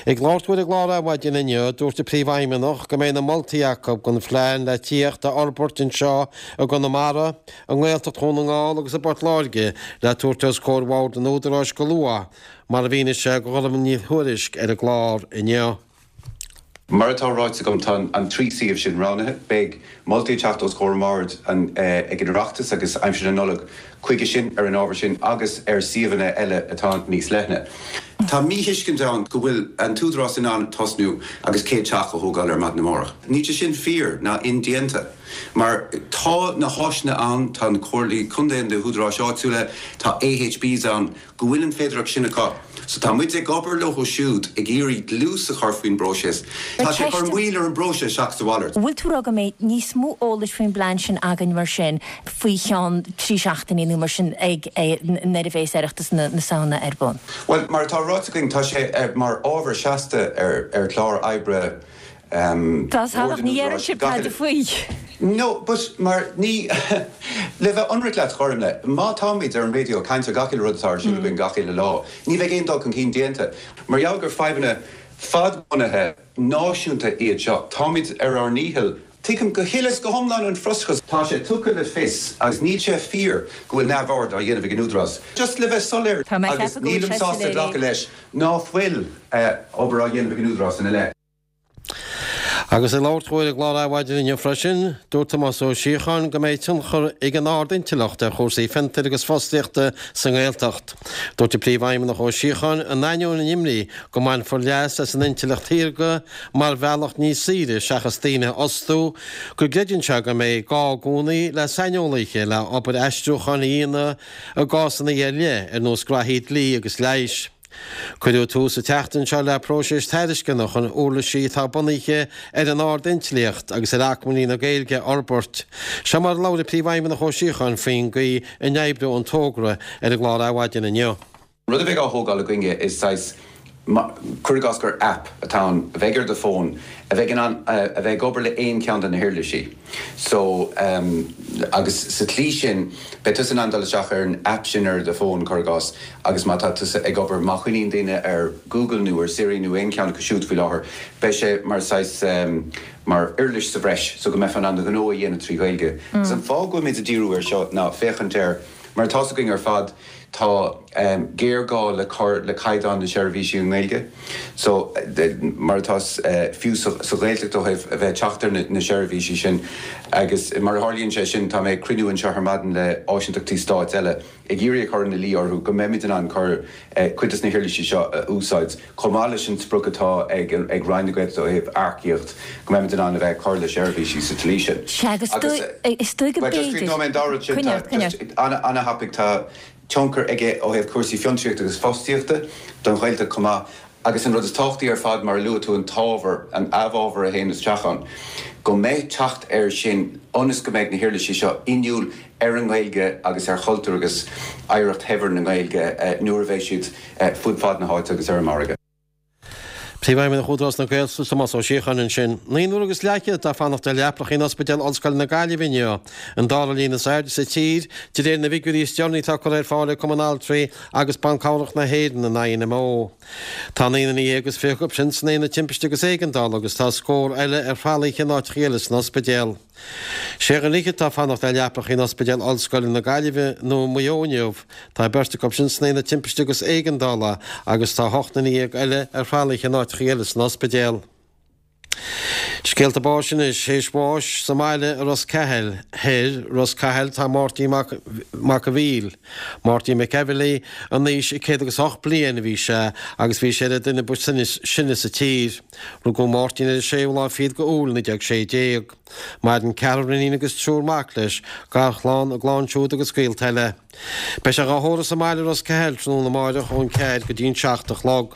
Ag labhairt dó ar an gclár Adhmhaidin inniu, dúirt an Príomhfheidhmeannach go mbeidh na moltaí acu don phlean le tithíocht a fhorbairt anseo i gConamara, i nGaeltacht Dhún na nGall agus i bPort Láirge le tabhairt os comhair Bhord an Údaráis go luath, mar a mhínigh sé do Ghormfhlaith Ní Thuairisg ar an gclár inniu. Mar atá ráite agam, tá an 3 suíomh sin roghnaithe. Beidh moltaí ag teacht os comhair an Bhoird ag an Oireachtas agus aimsir na Nollag chuige sin, ar an ábhar sin agus ar suíomhanna eile atá níos leithne. Tá míthuiscint ann go bhfuil an tÚdarás in ann tosnú agus 100 teach a thógáil ar maidin amárach. Níl sé sin fíor ná indéanta mar tá na háiseanna ann, tá na comhairlí contae, na húdaráis áitiúla, tá AHBs ann go bhfuil an féidearthacht sin acu. So tá muid ag obair leo siúd ag iarraidh dlús a chur faoin bpróiseas. Tá sé ag cur moill ar an bpróiseas seachas a mhalairt. Bhfuil tú ag rá go mbeidh níos mó eolais faoin bplean sin againn mar sin faoi cheann 3 seachtainí nó mar sin ag nuair a bhéas Oireachtas na Samhna ar bun? Bhuel, mar atá ráite againn, tá sé mar ábhar seasta ar chlár oibre Tá ach ní dheireann sibh tada faoi. No, but mar ní, le bheith ionraic leat, Ghormfhlaith, má táimid ar an raidió ag caint ar gach uile rud atá ar siúl againn gach uile lá, ní bheidh aon dul chun cinn déanta. Mar gheall gur fadhbanna fadbhunaithe náisiúnta iad seo, táimid ar ár ndícheall. Tuigim go huile is go hiomlán an frustrachas. Tá sé tugtha le fios, agus níl sé fíor, go bhfuil neamhaird á dhéanamh ag an Údarás. Just le bheith soiléir, Tá mé ag agus ceapadh go bhfuil nílim sé sásta soiléir. glacadh leis ná fuil obair á dhéanamh ag an Údarás ina leith. Agus ag labhairt dó ar an gclár Adhmhaidin inniu freisin, dúirt Tomás Ó Síocháin go mbeidh tionchar ag an ard-intleacht ar chúrsaí fiontair agus fostaíochta sa nGaeltacht. Dúirt an Príomhfheidhmeannach Ó Síocháin, in ainneoin an imní go mbainfear leas as an intleacht shaorga mar bhealach níos saoire seachas daoine a fhostú, go gcreideann sé go mbeidh gá i gcónaí le saineolaithe le obair aistriúcháin a dhéanamh i gcásanna ar leith, ar nós graithí dlí agus leighis. Cuireadh tús an tseachtain seo le próiseas tairisceana chun uirlisí atá bunaithe ar an ard-intleacht agus ar acmhainní na Gaeilge a fhorbairt. Seo mar a labhair an Príomhfheidhmeannach Ó Síocháin faoin gcaoi a n-oibreoidh an togra ar an gclár Adhmhaidin inniu. Rud a bheidh á thógáil againne is saghas. Cuir i gcás gur app atá ann a bheidh ar do fón a bheidh in ann a bheith ag obair le aon cheann de na huirlisí. So, agus sa tslí sin, beidh tusa in ann dul isteach ar an app sin ar do fón, cuir i gcás, agus má tá tusa ag obair, má choinníonn daoine ar Google nó ar Siri nó aon cheann acu siúd faoi láthair, beidh sé mar saghas, mar uirlis sa bhreis so go mbeifeá in ann do ghnó a dhéanamh trí Ghaeilge. Agus an fáth go bhfuilimid ag díriú air seo ná féachaint ar, mar atá's againn ar fad, Tá géarghá le cur le caighdeán na seirbhísí i nGaeilge. So, mar atá fiú sa Ghaeltacht ó thaobh a bheith ag teacht ar na seirbhísí sin. Agus mar a tharlaíonn sé sin, tá mé ag cruinniú anseo ar maidin le áisíntachtaí stáit eile ag iarraidh a chur ina luí orthu go mbeimid in ann cur cuid des na huirlisí seo a úsáid chomh maith leis an sprioc atá ag ag Roinn na Gaeltachta ó thaobh earcaíocht, go mbeimid in ann a bheith ag cur le seirbhísí sa tslí sin. Sea, agus is dóigh go Bhuel, just b'fhéidir. críochnóidh mé an dara rud sin, Coinnigh tá ort, coinnigh just ort. an-thapaidh, tá tionchar aige ó thaobh cúrsaí fiontraíochta agus fostaíochta don Ghaeltacht chomh maith agus an rud is tábhachtaí ar fad, mar a luaigh tú, an t-ábhar, an amhábhar a théann isteach ann, go mbeidh teacht air sin ionas go mbeidh na huirlisí seo inniúil ar an nGaeilge agus ar chultúr agus oidhreacht shaibhir na Gaeilge nuair a bheidh siad fud fad na háite agus ar an margadh. Príomhfheidhmeannach Údarás na Gaeltachta, Tomás Ó Síocháin ansin. Naonúr agus leathchéad atá ag fanacht ar leapacha in Ospidéal Ollscoile na Gaillimhe inniu, an dara líon is airde sa tír, de réir na bhfigiúirí is deireanaí atá curtha ar fáil ag Cumann Altraí agus Ban Cabhrach na hÉireann, an INMO. Tá naoi nduine dhéag is 20 acu sin san Aonad Timpiste agus Éigeandála agus tá scór eile ar thralaithe in áiteacha eile san ospidéal. Sé dhuine fhichead atá ag fanacht ar leapacha in Ospidéal Ollscoile na Gaillimhe nó Maigh Eo inniu. Tá beirt acu sin san Aonad Timpiste agus Éigeandála agus tá 18 nduine eile ar thralaithe in áiteacha eile san ospidéal. Scéalta báis anois. Théis bháis sa mbaile i Ros Cathail Thoir, Ros Cathail, tá Máirtín Mac Mac a' Mhíl. Máirtín McEvilly, in aois a 108 bliain a bhí sé agus bhí sé ar an duine ba sine sa tír. Rugadh Máirtín ar an séú lá fichead de Iúil 1916. Maireann ceathrar iníon agus triúr mac leis, garchlann, a gclann siúd agus gaolta eile. Beidh sé dhá thórramh sa mbaile i Ros Cathail tráthnóna amáireach ón ceathair go dtí an 7 a chlog.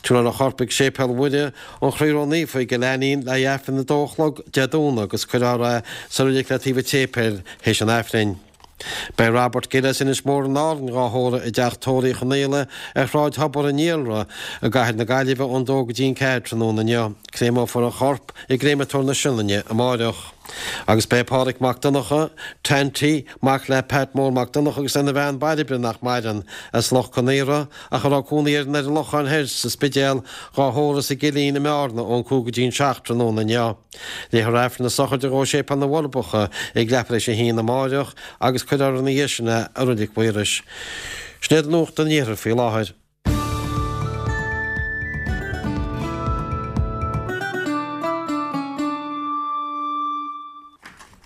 Tabharfar a chorp ag Séipéal Mhuire an Chroí Ró-Naofa i gCill Ainnín le haghaidh Aifreann a dó a chlog Dé Domhnaigh agus cuirfear é sa reilig le taobh an tséipéil théis an Aifrinn. Beidh Robert Gill as Inis Mór in Árainn dhá thórramh i dteach tórraimh Uí Chonaola ar Shráid Thobar an Iarla i gcathair na Gaillimhe ón dó go dtí an ceathair tráthnóna inniu. Créameofar a chorp i gCréamatóir na Sionainne amáireach. Agus beidh Pádhraic Mac Donncha, Tanty, mac le Pat Mór Mac Donncha agus lena bhean Bairbre nach maireann, as Loch Con Aortha, ach a raibh cónaí air in ar an Lochán Thoir sa Spidéal, dhá thórramh sa gCillín i mBearna ón 5 go dtí an 7 tráthnóna inniu. Léifear Aifreann na sochraide dhó i Séipéal na bhForbacha ag leathuair tar éis a haon amáireach agus cuirfear ina dhiaidh sin é i Reilig Mhaorais. Sin iad nuacht an Iarthair faoi láthair.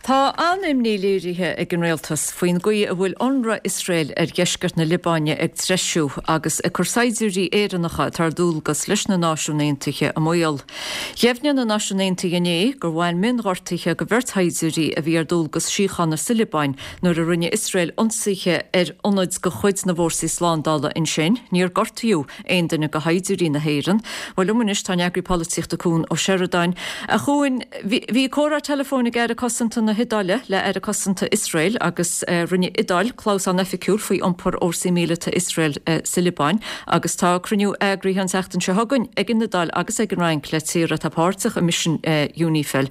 Tá an-imní léirithe ag an rialtas faoin gcaoi a bhfuil ionradh Iosrael ar dheisceart na Liobáine ag treisiú agus ag cur saighdiúirí Éireannacha atá ar dualgas leis na Náisiúin Aontaithe i mbaol. Dheimhnigh na Náisiúin Aontaithe inné gur bhain mionghortuithe do bheirt shaighdiúirí a bhí ar dualgas síochána sa Liobáin nuair a rinne Iosrael ionsaithe ar ionaid de chuid na bhfórsaí slándála ansin. Níor gortaíodh aon duine de shaighdiúirí na hÉireann. Bhuel, liom anois tá an eagraí polaitíochta Cuan Ó Seireadáin. A Chuain, bhí, bhí comhrá teileafóin ag Aire Cosanta na hIodáile le Aire Cosanta Iosrael agus rinne Iodáil clamhsán oifigiúil faoi iompar fhórsaí míleata Iosrael sa Liobáin agus tá cruinniú eagraithe an tseachtain seo chugainn ag an Iodáil agus ag an Fhrainc le tíortha atá páirteach i misean UNIFIL.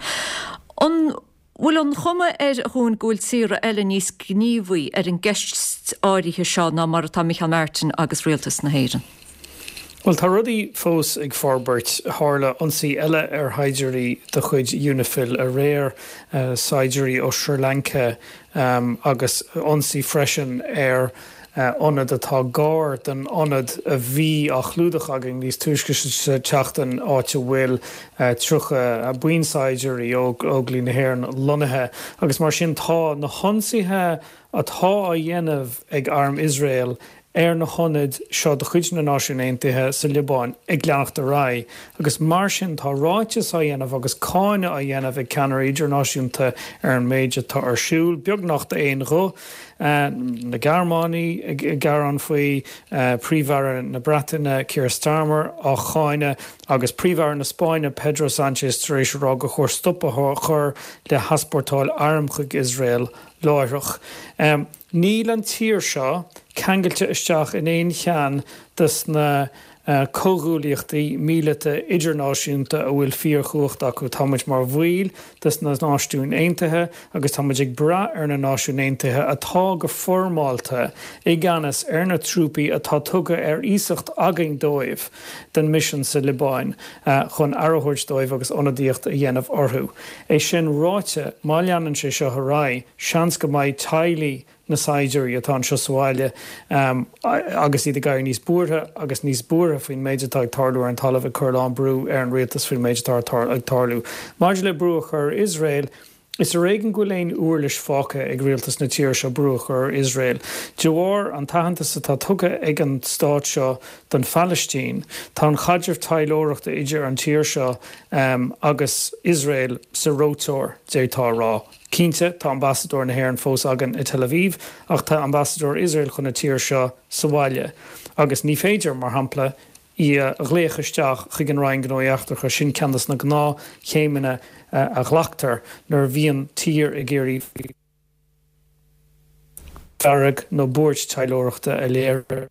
An. Bhfuil an chuma air, a Chuain, go bhfuil tíortha eile níos gníomhaí ar an gceist áirithe seo ná mar atá Micheál Martin agus Rialtas na hÉireann? Bhuel, tá rudaí fós ag forbairt. Tharla ionsaí eile ar shaighdiúirí de chuid Unifil aréir, saighdiúirí ó Sri Lanka, agus ionsaí freisin ar ionad atá gar don ionad a bhí á chlúdach againn níos túisce sa tseachtain, áit a bhfuil 30 buíon saighdiúirí ó Óglaigh na hÉireann lonnaithe. Agus mar sin tá na hionsaithe atá á dhéanamh ag arm Iosrael ar na hionaid seo de chuid na Náisiún Aontaithe sa Liobáin ag leanacht ar aghaidh agus mar sin tá ráiteas á dhéanamh agus cáineadh á dhéanamh ag ceannairí idirnáisiúnta ar an méid atá ar siúl, beagnach d'aon ghuth. Na Gearmánaigh ag gearán faoi, Príomh-Aire na Breataine Keir Starmer á cháineadh agus Príomh-Aire na Spáinne Pedro Sanchez tar éis a rá gur chóir stop a chur le heaspórtáil arm chuig Iosrael láithreach. Níl an tír seo ceangailte isteach in aon cheann de na. Comhghuaillíochtaí míleata idirnáisiúnta a bhfuil fíorchumhacht acu. Tá muid mar bhaill de na Náisiúin Aontaithe agus tá muid ag brath ar na Náisiúin Aontaithe atá go foirmeálta i gceannas ar na trúpaí atá tugtha ar iasacht againn dóibh don misean sa Liobáin chun aire a thabhairt dóibh agus ionadaíocht a dhéanamh orthu. É sin ráite, má leanann sé seo ar aghaidh, seans go mbeidh teaghlaigh na saighdiúirí atá anseo sa bhaile agus iad ag éirí níos buartha agus níos buartha faoin méid atá ag tarlú ar an talamh ag cur a lán brú ar an rialtas faoin méid atá ag tarlú. Maidir le brú a chur ar Iosrael, is ar éigean go bhfuil aon uirlis fágtha ag rialtas na tíre seo brú a chur ar Iosrael. De bharr an t-aitheantas atá tugtha ag an stát seo don Phalaistín, tá an chaidreamh taidhleoireachta idir an tír seo agus Iosrael sa reoiteoir, d'fhéadfá a rá. Cinnte, tá ambasadóir na hÉireann fós againn i Tel Aviv, ach tá ambasadóir Iosrael chun na tíre seo sa bhaile. Agus ní féidir, mar shampla, í a ghlaoch isteach chuig an Roinn Gnóthaí Eachtracha, sin ceann de na gnáthchéimeanna a ghlactar nuair a bhíonn tír ag iarraidh fearg nó buairt taidhleoireachta a léiriú.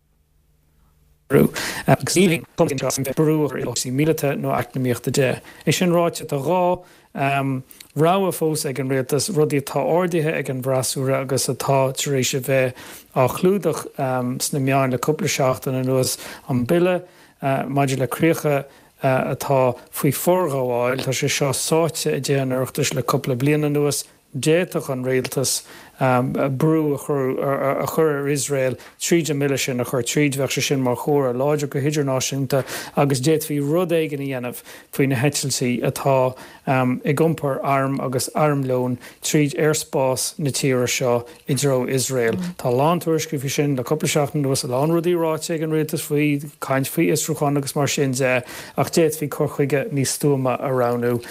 Agus níl aon brú ar chúrsaí míleata nó eacnamaíochta de. É sin ráite, tá 2 rogha fós ag an rialtas, rudaí atá ardaithe ag an bhfreasúra agus atá tar éis a bheith á chlúdach sna meáin le cúpla seachtain anuas, an bille maidir le críocha atá faoi forghabháil, tá sé seo sáite i dTithe an Oireachtais le cúpla bliain anuas, D'fhéadfadh an rialtas brú a chur ar Iosrael tríd an mbille sin a chur tríd. Bheadh sé sin mar chomhartha láidir go hidirnáisiúnta agus d'fhéadfaí rud éigin a dhéanamh faoi na heitiltí atá ag iompar arm agus armlóin tríd aerspás na tíre seo i dtreo Iosrael. Tá a lán tuairiscí faoi sin le cúpla seachtain anuas, a lán rudaí ráite ag an rialtas faoi, caint faoi fhiosrúchán agus mar sin de, ach d'fhéadfaí cur chuige níos stuama a roghnú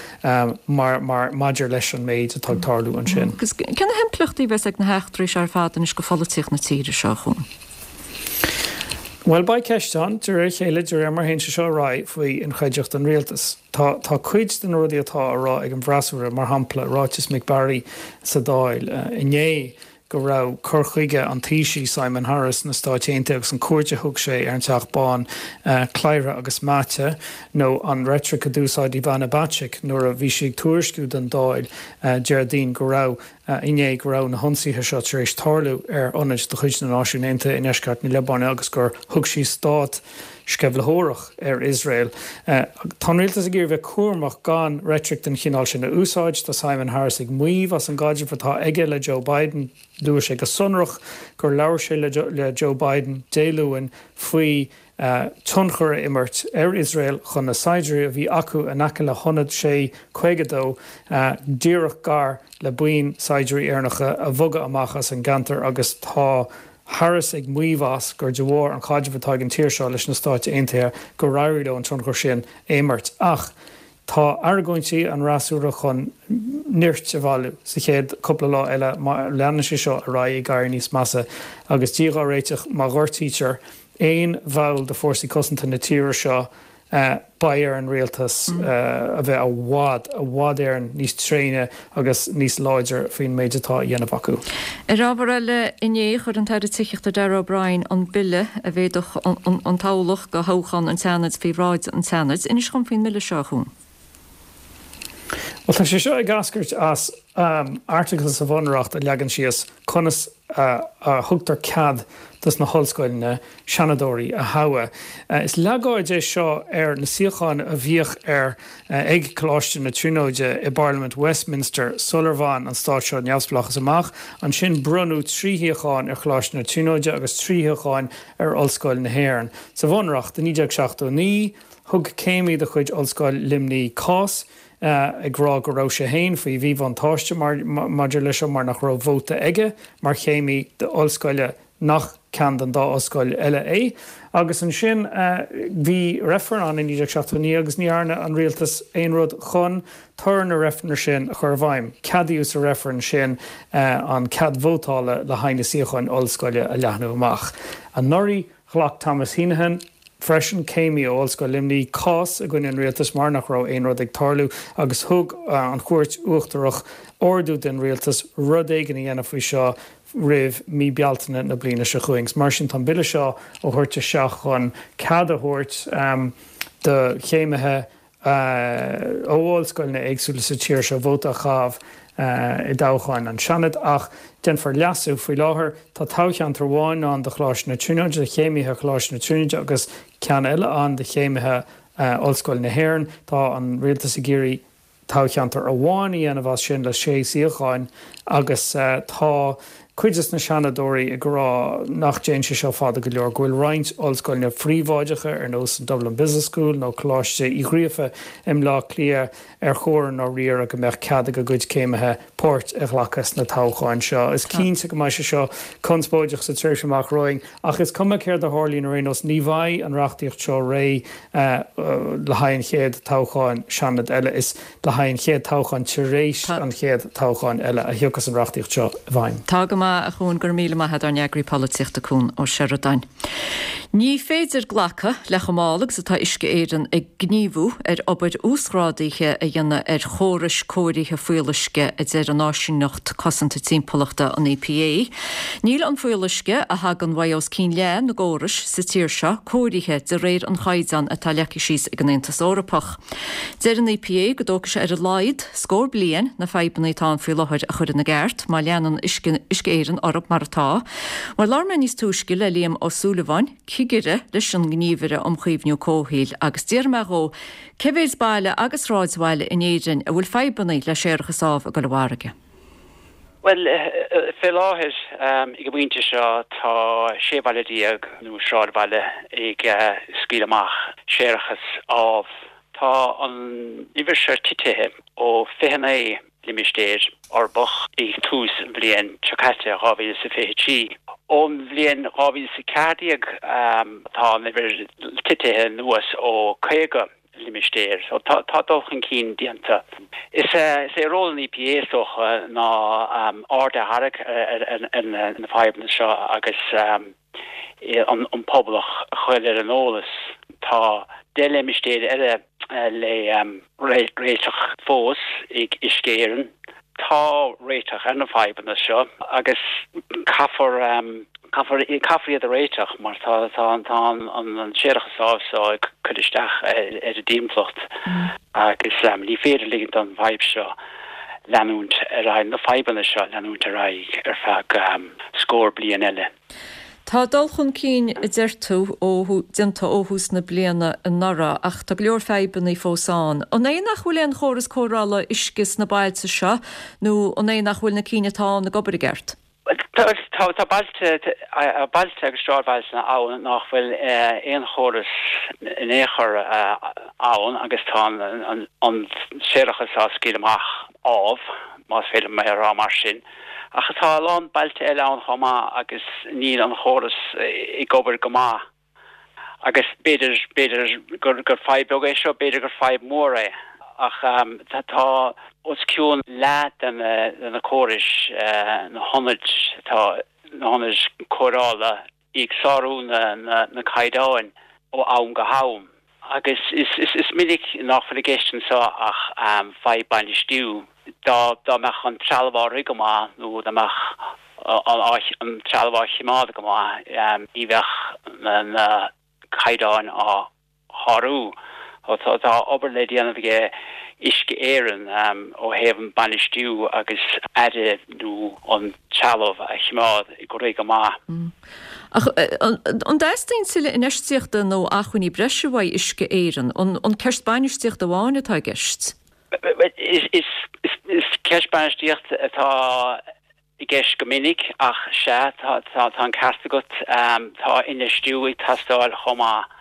mar, mar, maidir leis an méid atá ag tarlú ansin. Agus cé na himpleachtaí a bheas ag na heachtraí seo ar fad anois go pholaitíocht na tíre seo, a Chuain? Bhuel, beidh ceist ann, de réir a chéile, de réir mar a théann sé seo ar aghaidh, faoi inchreidteacht an rialtais. Tá, tá cuid de na rudaí atá á rá ag an bhfreasúra, mar shampla, ráiteas Mick Barry sa Dáil inné go raibh cur chuige an Taoisigh Simon Harris sna Stáit Aontaithe agus an cuairt a thug sé ar an Teach Bán cladhartha agus meáite, nó an reitric a d'úsáid Ivana Bacik nuair a bhí sí ag tuairisciú don Dáil Déardaoin go raibh inné go raibh na hionsaithe seo tar éis tarlú ar ionaid de chuid na Náisiún Aontaithe i ndeisceart na Liobáine agus gur thug sí stát sceimhlitheoireach ar Iosrael. Tá an rialtas ag iarraidh bheith cúramach gan reitric den chineál sin a úsáid. Tá Simon Harris ag maíomh as an gcaidreamh atá aige le Joe Biden. Luaigh sé go sonrach gur labhair sé le Joe Biden Dé Luain faoi tionchar a imirt ar Iosrael chun na saighdiúirí a bhí acu in aice le hionad sé 52, díreach gar le buíon saighdiúirí Éireannacha, a bhogadh amach as an gceantar agus tá Harris ag maíomh as gur de bharr an chaidrimh atá ag an tír seo leis na Stáit Aontaithe gur éirigh leo an tionchar sin a imirt. Ach tá argóintí an fhreasúra chun nirt a bhailiú sa chéad cúpla lá eile má leanann sé seo ar aghaidh ag éirí níos measa agus Dia dhá réiteach má ghortaítear aon bhall de fórsaí cosanta na tíre seo beidh ar an rialtas a bheith i bhfad, i bhfad Éireann níos tréine agus níos láidre faoin méid atá á dhéanamh acu. Ar ábhar eile, inné chuir an tAire Tithíochta Darragh O'Brien an bille a mhéadódh an toghlach do thoghchán an tSeanaid faoi bhráid an tSeanaid. Inis dhom faoin mbille seo, a Chuain. Bhuel, tá sé seo ag eascairt as airteagal sa Bhunreacht a leagann síos conas a thugtar cead dos na hollscoileanna seanadóirí a thoghadh. Is leagáid é seo ar na suíocháin a bhíodh ar ag Coláiste na Tríonóide i bParlaimint Westminster sular bhain an stát seo neamhspleáchas amach. Ansin bronnadh 3 shuíochán ar Choláiste na Tríonóide agus 3 shuíochán ar Ollscoil na hÉireann. Sa Bhunreacht i 1979, Thug céimí de chuid Ollscoil Luimnigh cás ag rá go raibh sé féin faoi mhíbhuntáiste maidir leis seo mar nach raibh vóta aige mar chéimí d'ollscoile nach ceann den dá ollscoil eile é. Agus ansin bhí reifreann ann i 1979 agus ní dhearna an rialtas aon rud chun toradh na reifreann sin a chur i bhfeidhm. Ceadaíodh sa reifreann sin an cead vótála le haghaidh na suíocháin ollscoile a leathnú amach. Anuraidh ghlac Thomas Heneghan. freisin, céimí ó Ollscoil Luimnigh, cás i gcoinne an rialtais mar nach raibh aon rud ag tarlú agus thug an Chúirt Uachtarach ordú don rialtas rud éigin a dhéanamh faoi seo roimh mí Bealtaine na bliana seo chugainn. Mar sin tá an bille seo á thabhairt isteach chun cead a thabhairt do chéimithe ó ollscoileanna éagsúla sa tír seo vóta a chaitheamh i dtoghcháin an Seanaid ach déanfar leasú. Faoi láthair tá toghcheantar amháin ann do Choláiste na Tríonóide, do chéimithe Choláiste na Tríonóide agus ceann eile ann do chéimithe Ollscoil na hÉireann. Tá an rialtas ag iarraidh toghcheantar amháin a dhéanamh as sin le sé suíocháin agus tá cuid des na Seanadóirí ag rá nach dtéann sé seo fada go leor, go bhfuil roinnt ollscoileanna phríobháideacha ar nós an Dublin Business School nó Coláiste Uí Ghríofa i mBleá Cliath ar chóir i ndáiríre go mbeadh cead ag a gcuid céimithe páirt a ghlacadh sna toghcháin seo. Is cinnte go mbeidh sé seo conspóideach sa tréimhse amach romhainn ach is cuma céard a tharlaíonn ar aon nós, ní bheidh an reachtaíocht seo réidh le haghaidh an chéad toghcháin Seanad eile. Is le haghaidh an chéad toghcháin tar éis an chéad toghcháin eile a thiocfas an reachtaíocht seo i bhfeidhm. Tá go maith, a Chuan, go raibh míle maith agat, ár n-eagraí polaitíochta Cuan Ó Seireadáin. Ní féidir glacadh le chomh mall agus atá Uisce Éireann ag gníomhú ar obair uasghrádaithe a dhéanamh ar chórais cóirithe fuíolluisce, a deir an áisíneacht cosanta timpeallachta, an EPA. Níl an fuíolluisce, a thagann uaidh os cionn leath na gcórais sa tír seo, cóirithe de réir an chaighdeáin atá leagtha síos ag an Aontas Eorpach. Deir an EPA go dtógfaidh sé ar a laghad scór bliain na fadhbanna atá ann faoi láthair a chur ina gceart má leanann Uisce Éireann orthu mar atá. Bhuel, labhair mé níos túisce le Liam Ó Súilleabháin, cigire leis an nGníomhaire um Chaomhnú Comhshaoil, agus d'fhiafraigh mé dhó cé mhéid baile agus sráidbhaile in Éirinn a bhfuil fadhbanna le séarachas amh ag dul i bhfarraige. Bhuel, fé láthair, ag an bpointe seo, tá 16 bhaile nó sráidbhaile ag scaoileadh amach séarachas amh. Tá an uimhir seo titithe ó 29 limistéir uirbeach ag tús an bhliain seo caite, 2023. Ón bhliain 2014 tá an uimhir titithe anuas ó 50. limistéir. So tá tá dul chun cinn déanta. Is é ról an EPA is dócha ná aird a tharraingt ar na fadhbanna seo agus an pobal a chur ar an eolas. Tá 10 limistéir eile le réiteach fós ag Uisce Éireann. Tá réiteach ar na fadhbanna seo agus caithfear caithfear caithfear iad a réiteach mar tá tá tá an séarachas amh seo ag cur isteach ar an dtimpeallacht agus ní féidir ligint don bhfadhb seo leanúint ar aghaidh, na fadhbanna seo leanúint ar aghaidh ar feadh scór bliain eile. Tá dul chun cinn, a deir tú, ó déanta ó thús na bliana anuraidh ach tá go leor fadhbanna fós ann. An é nach bhfuil aon chóras cóireála uisce sna bailte seo nó an é nach bhfuil na cinn atá ann ag obair i gceart? Tá bailte bailte agus sráidbhailte ann nach bhfuil aon chóras in aon chor ann agus tá an séarachas á scaoileadh amach amh, más féidir liom é a rá mar sin. Ach tá a lán bailte eile ann chomh maith agus níl an chóras ag obair go maith. Agus b'fhéidir, b'fhéidir gur, gur fadhb beag é seo, b'fhéidir gur fadhb mhór é, ach tá os cionn leath de na, de na córais, na hionaid atá, na hionaid cóireála ag sárú na, na, na caighdeáin ó am go ham. Agus is, is, is minic nach bhfuil i gceist anseo ach fadhb bainistiú. Dá, dá mbeadh an trealamh á rith go maith nó dá mbeadh an trealamh á choimeád go maith, ní bheadh na caighdeáin á shárú. Tá obair le déanamh ag Uisce Éireann ó thaobh an bainistiú agus aire nó an trealamh a choimeád ag rith go maith. Ach an dteastaíonn tuilleadh infheistíochta nó acmhainní breise uaidh Uisce Éireann? An ceist bainistíochta amháin atá i gceist? Is ceist bainistíochta atá i gceist go minic ach sea, tá an ceart agat, tá infheistiú ag teastáil chomh maith.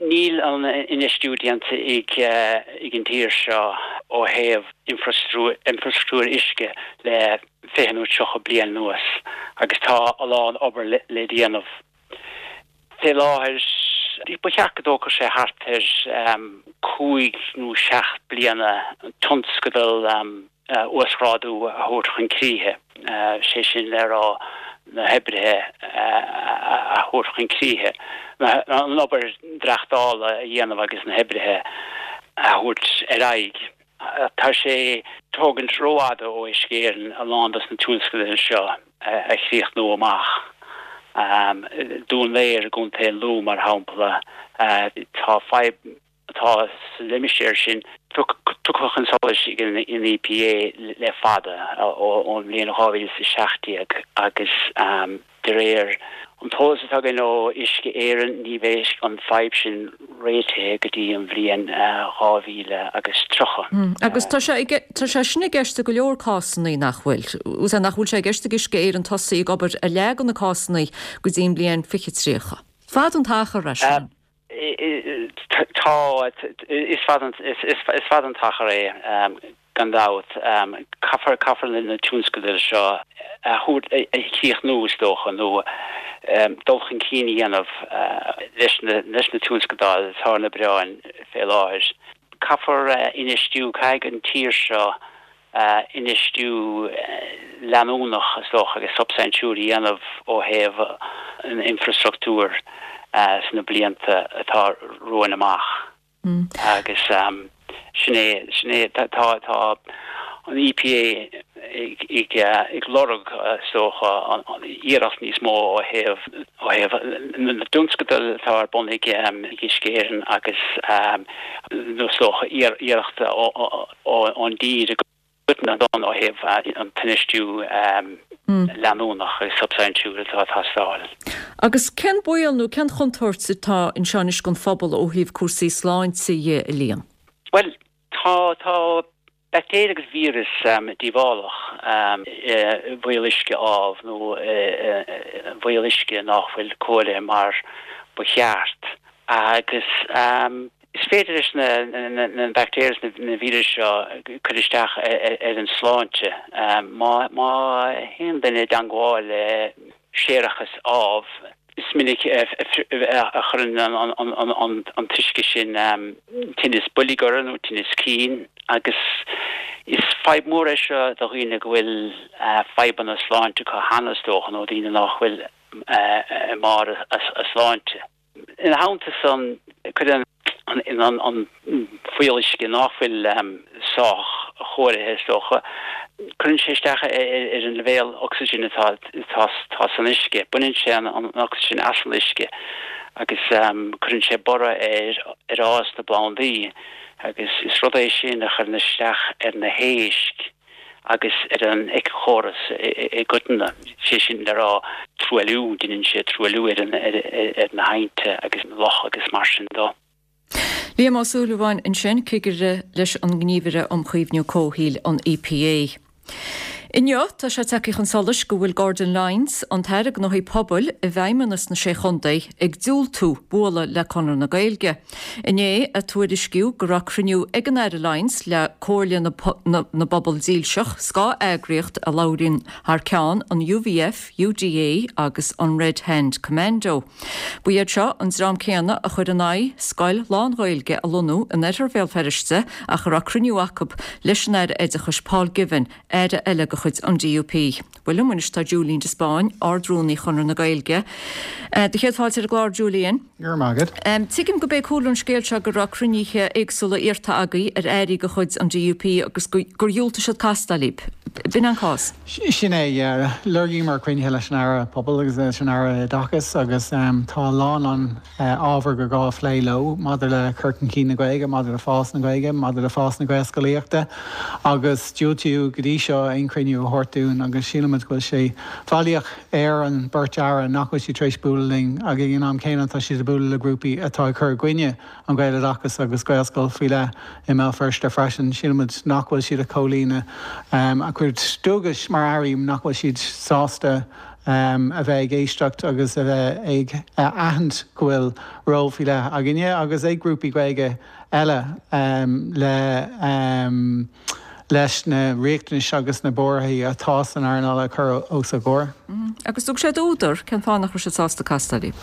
Níl an infheistiú déanta ag an tír seo ó thaobh infrastruchtúr uisce le 20 nó 30 bliain anuas agus tá a lán obair le déanamh. Fé láthair, ba cheart go dtógfadh sé thart ar chúig nó seacht bliana tionscadal uasghrádú a thabhairt chun críche, sé sin le rá. na hoibrithe a thabhairt chun críche, an obair dréachtála a dhéanamh agus na hoibrithe a thabhairt ar aghaidh. Tá sé ag tógaint rófhada ó Uisce Éireann a lán dos na tionscadail seo a chríochnú amach. Dún Léir i gContae Lú, mar shampla, tá fadhb atá sa limistéar sin tugtha chun solais ag an EPA le fada, ón mbliain 2017, agus de réir an t-eolas atá againn ó Uisce Éireann, ní bheidh an fadhb sin réitithe go dtí an bhliain 2030. Agus tá sé tá sé sin i gceist i go leor cásanna, nach bhfuil? Nach bhfuil sé i gceist ag Uisce Éireann tosaí ag obair ar leath de na cásanna go dtí an bhliain 2030. Fada an t-achar é sin. Tá, is fada an t-achar é, gan dabht. Caithfear, caithfear na tionscadail seo a thabhairt, a chríochnú, is dócha, nó dul chun cinn a dhéanamh leis na tionscadail atá ar na bioráin fé láthair. Caithfear infheistiú, caithfidh an tír seo infheistiú leanúnach, is dócha, agus substaintiúil a dhéanamh ó thaobh an infreastruchtúir sna blianta atá romhainn amach. Agus sin é, sin é, tá, tá an EPA ag, ag lorg, is dócha, iarracht níos mó ó thaobh, ó thaobh na dtionscadal atá ar bun ag Uisce Éireann agus, nó is dócha, iarracht ó ón dtír i gcoitinne ó thaobh an t-infheistiú leanúnach agus substaintiúil atá ag teastáil. Agus cén baol nó cén chontúirt atá anseo anois don phobal ó thaobh cúrsaí sláinte dhe, a Liam? Bhuel, tá, tá baictéir agus víreas díobhálach i bhfuíolluisce amh nó i bhfuíolluisce nach bhfuil cóirithe mar ba cheart agus Is féidir leis na baictéir is na víris seo cur isteach ar an sláinte. Má théann duine i dteangmháil le séarachas amh, is minic a chuireann an t-uisce sin tinneas boilg orthu nó tinneas cinn agus is fadhb mhór é seo do dhaoine go bhfuil fadhbanna sláinte acu cheana, is dócha, nó daoine nach bhfuil i mbarr a sláinte. Ina theannta san, cuireann an fuíolluisce nach bhfuil sách chóirithe, is dócha, cuireann sé isteach ar an leibhéal ocsaigin atá atá san uisce. Baineann sé an ocsaigin as an uisce agus cuireann sé borradh ar ar fhás na bplandaí agus is rud é sin a chuireann isteach ar na héisc. agus ar an éiceachóras i gcoitinne, sé sin le rá truailliú, deineann sé truailliú ar na haibhnte agus na locha agus mar sin dó. Liam Ó Súilleabháin ansin, cigire leis an nGníomhaire um Chaomhnú Comhshaoil, an EPA. Inniu, tá sé tagtha chun solais go bhfuil Gordon Lyons, an tAire Gnóthaí Pobail i bhFeidhmeannas na Sé Chontae, ag diúltú bualadh le Conradh na Gaeilge. Inné a tuairiscíodh go raibh cruinniú ag an Aire Lyons le Comhairle na bPobal Dílseach, scáth-eagraíocht a labhraíonn thar ceann an UVF, UDA agus an Red Hand Commando. Ba iad seo an dream céanna a chuir in aghaidh scoil lán-Ghaeilge a lonnú in oirthear Bhéal Feirste ach a raibh cruinniú acu leis an Aire Oideachais Paul Givan, aire eile de chuid an DUP. Bhuel liom anois tá Julian de Spáinn, Ard-Rúnaí Chonradh na Gaeilge. Do chéad fáilte ar an gclár, Julian. Go raibh maith agat. Tuigim go b'é cúlra an scéil seo go raibh cruinnithe éagsúla iarrta agaibh ar airí de chuid an DUP agus gur dhiúltaigh siad castáil libh. B'in an cás? Sin é, yeah. Lorgaíomar cruinnithe leis an Aire Pobal agus leis an Aire Oideachais agus tá a lán an ábhar gur gá a phlé leo maidir le cur chun cinn na Gaeilge, maidir le fás na Gaeilge, maidir le fás na Gaelscolaíochta agus diúltaíodh go dtí seo aon chruinniú a thabhairt dúinn agus sílimid go bhfuil sé faillíoch ar an beirt Aire nach bhfuil siad tar éis bualadh linn ag an am céanna tá siad ag bualadh le grúpaí atá ag cur i gcoinne an Ghaeloideachais agus Gaelscoil faoi leith i mBéal Feirste freisin. Sílimid nach bhfuil siad ag comhlíonadh a gcuid dualgais mar Airí, nach bhfuil siad sásta a bheith ag éisteacht agus a bheith ag aithint go bhfuil ról faoi leith againne agus ag grúpaí Gaeilge eile le leis na riachtanais agus na buarthaí atá san earnáil a chur os a gcomhair. Agus thug siad údar cén fáth nach raibh siad sásta castáil libh?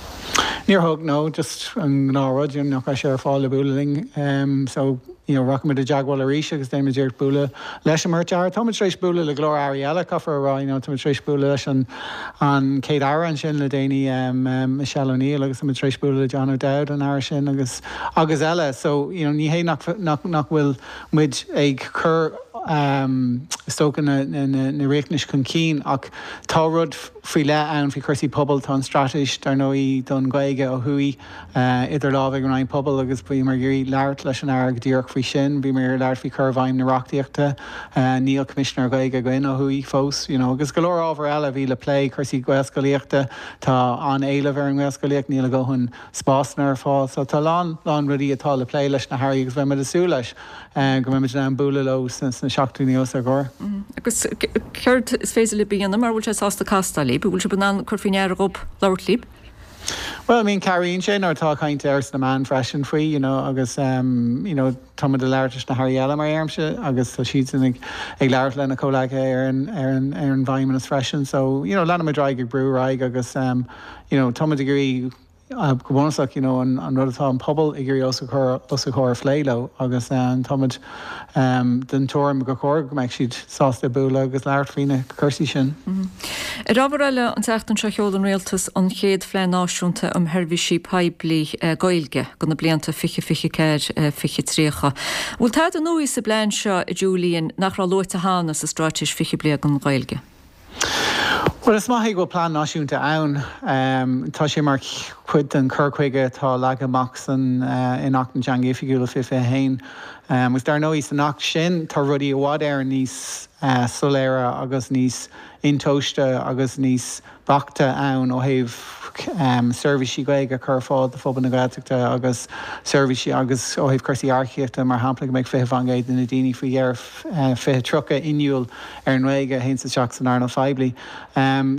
Níor thug, no, just an gnáthrud, you know, nach raibh sé ar fáil le bualadh linn. So. you know, rachaimid i dteagmháil arís agus déanfaimid iarracht bualadh leis an mbeirt Aire. Táimid tar éis bualadh le go leor Airí eile, caithfear a rá, you know, táimid tar éis bualadh leis an an Chéad Aire ansin le déanaí, Michelle O'Neill agus táimid tar éis bualadh le John O'Dowd, an Aire sin agus agus eile. So, you know, ní hé nach nach nach bhfuil muid ag cur is dócha na na na riachtanais chun cinn ach tá rud faoi leith ann faoi chúrsaí pobail, tá an straitéis dar ndóigh don Ghaeilge ó thuaidh, idir lámha ag an Roinn Pobal agus bhíomar ag iarraidh labhairt leis an Aire go díreach faoi sin. Bhíomar ag iarraidh labhairt faoi chur i bhfeidhm na reachtaíochta. Níl Coimisinéir Gaeilge againn ó thuaidh fós, you know, agus go leor ábhar eile a bhí le plé, cúrsaí Gaelscolaíochta, tá an-éileamh ar an nGaelscolaíocht, níl a dhóthain spásanna ar fáil. So tá a lán, lán rudaí atá le plé leis na hAirí agus beidh muid ag súil leis go mbeidh muid in ann bualadh leo sna seachtainí os ár gcomhair. Agus céard is féidir libh a dhéanamh mura bhfuil siad sásta castáil libh? An bhfuil sibh in ann cur faoi ndeara dhób labhairt libh? Bhuel, I mean, cabhraíonn sé nuair atá caint air sna meáin freisin faoi, you know, agus em, you know, tá muid ag labhairt leis na hairí eile mar a deirimse agus tá siadsan ag, ag labhairt lena comhleacaithe ar an, ar an, ar an bhFeidhmeannas freisin. So, you know, leanfaimid ar aghaidh ag brú ar aghaidh agus em, you know, tá muid ag iarraidh go bunúsach, you know, an, an rud atá an pobal ag iarraidh os a chur, os a chomhair a phlé leo agus em, tá muid em, den tuairim gur chóir go mbeadh siad sásta bualadh agus labhairt faoi na cúrsaí sin. Ar ábhar eile, an tseachtain seo sheol an Rialtas an chéad Phlean Náisiúnta um Sheirbhísí Poiblí Gaeilge do na blianta 2024, 2030. An bhfuil tada nua sa bplean seo, a Julian, nach raibh luaite cheana sa Straitéis 20 Bliain don Ghaeilge? Bhuel, is maith é go bhfuil plean náisiúnta ann. Tá sé mar chuid den chur chuige atá leagtha amach san in Acht na dTeangacha Oifigiúla 2021. Agus dar ndóigh, san Acht sin tá rudaí i bhfad Éireann níos soiléire agus níos intomhaiste agus níos beaichte ann ó thaobh seirbhísí Gaeilge a chur ar fáil do phobal na Gaeltachta agus seirbhísí agus ó thaobh cúrsaí earcaíochta, mar shampla, go mbeidh 20% de na daoine faoi dheireadh 2030 inniúil ar an nGaeilge a théanns isteach san earnáil phoiblí.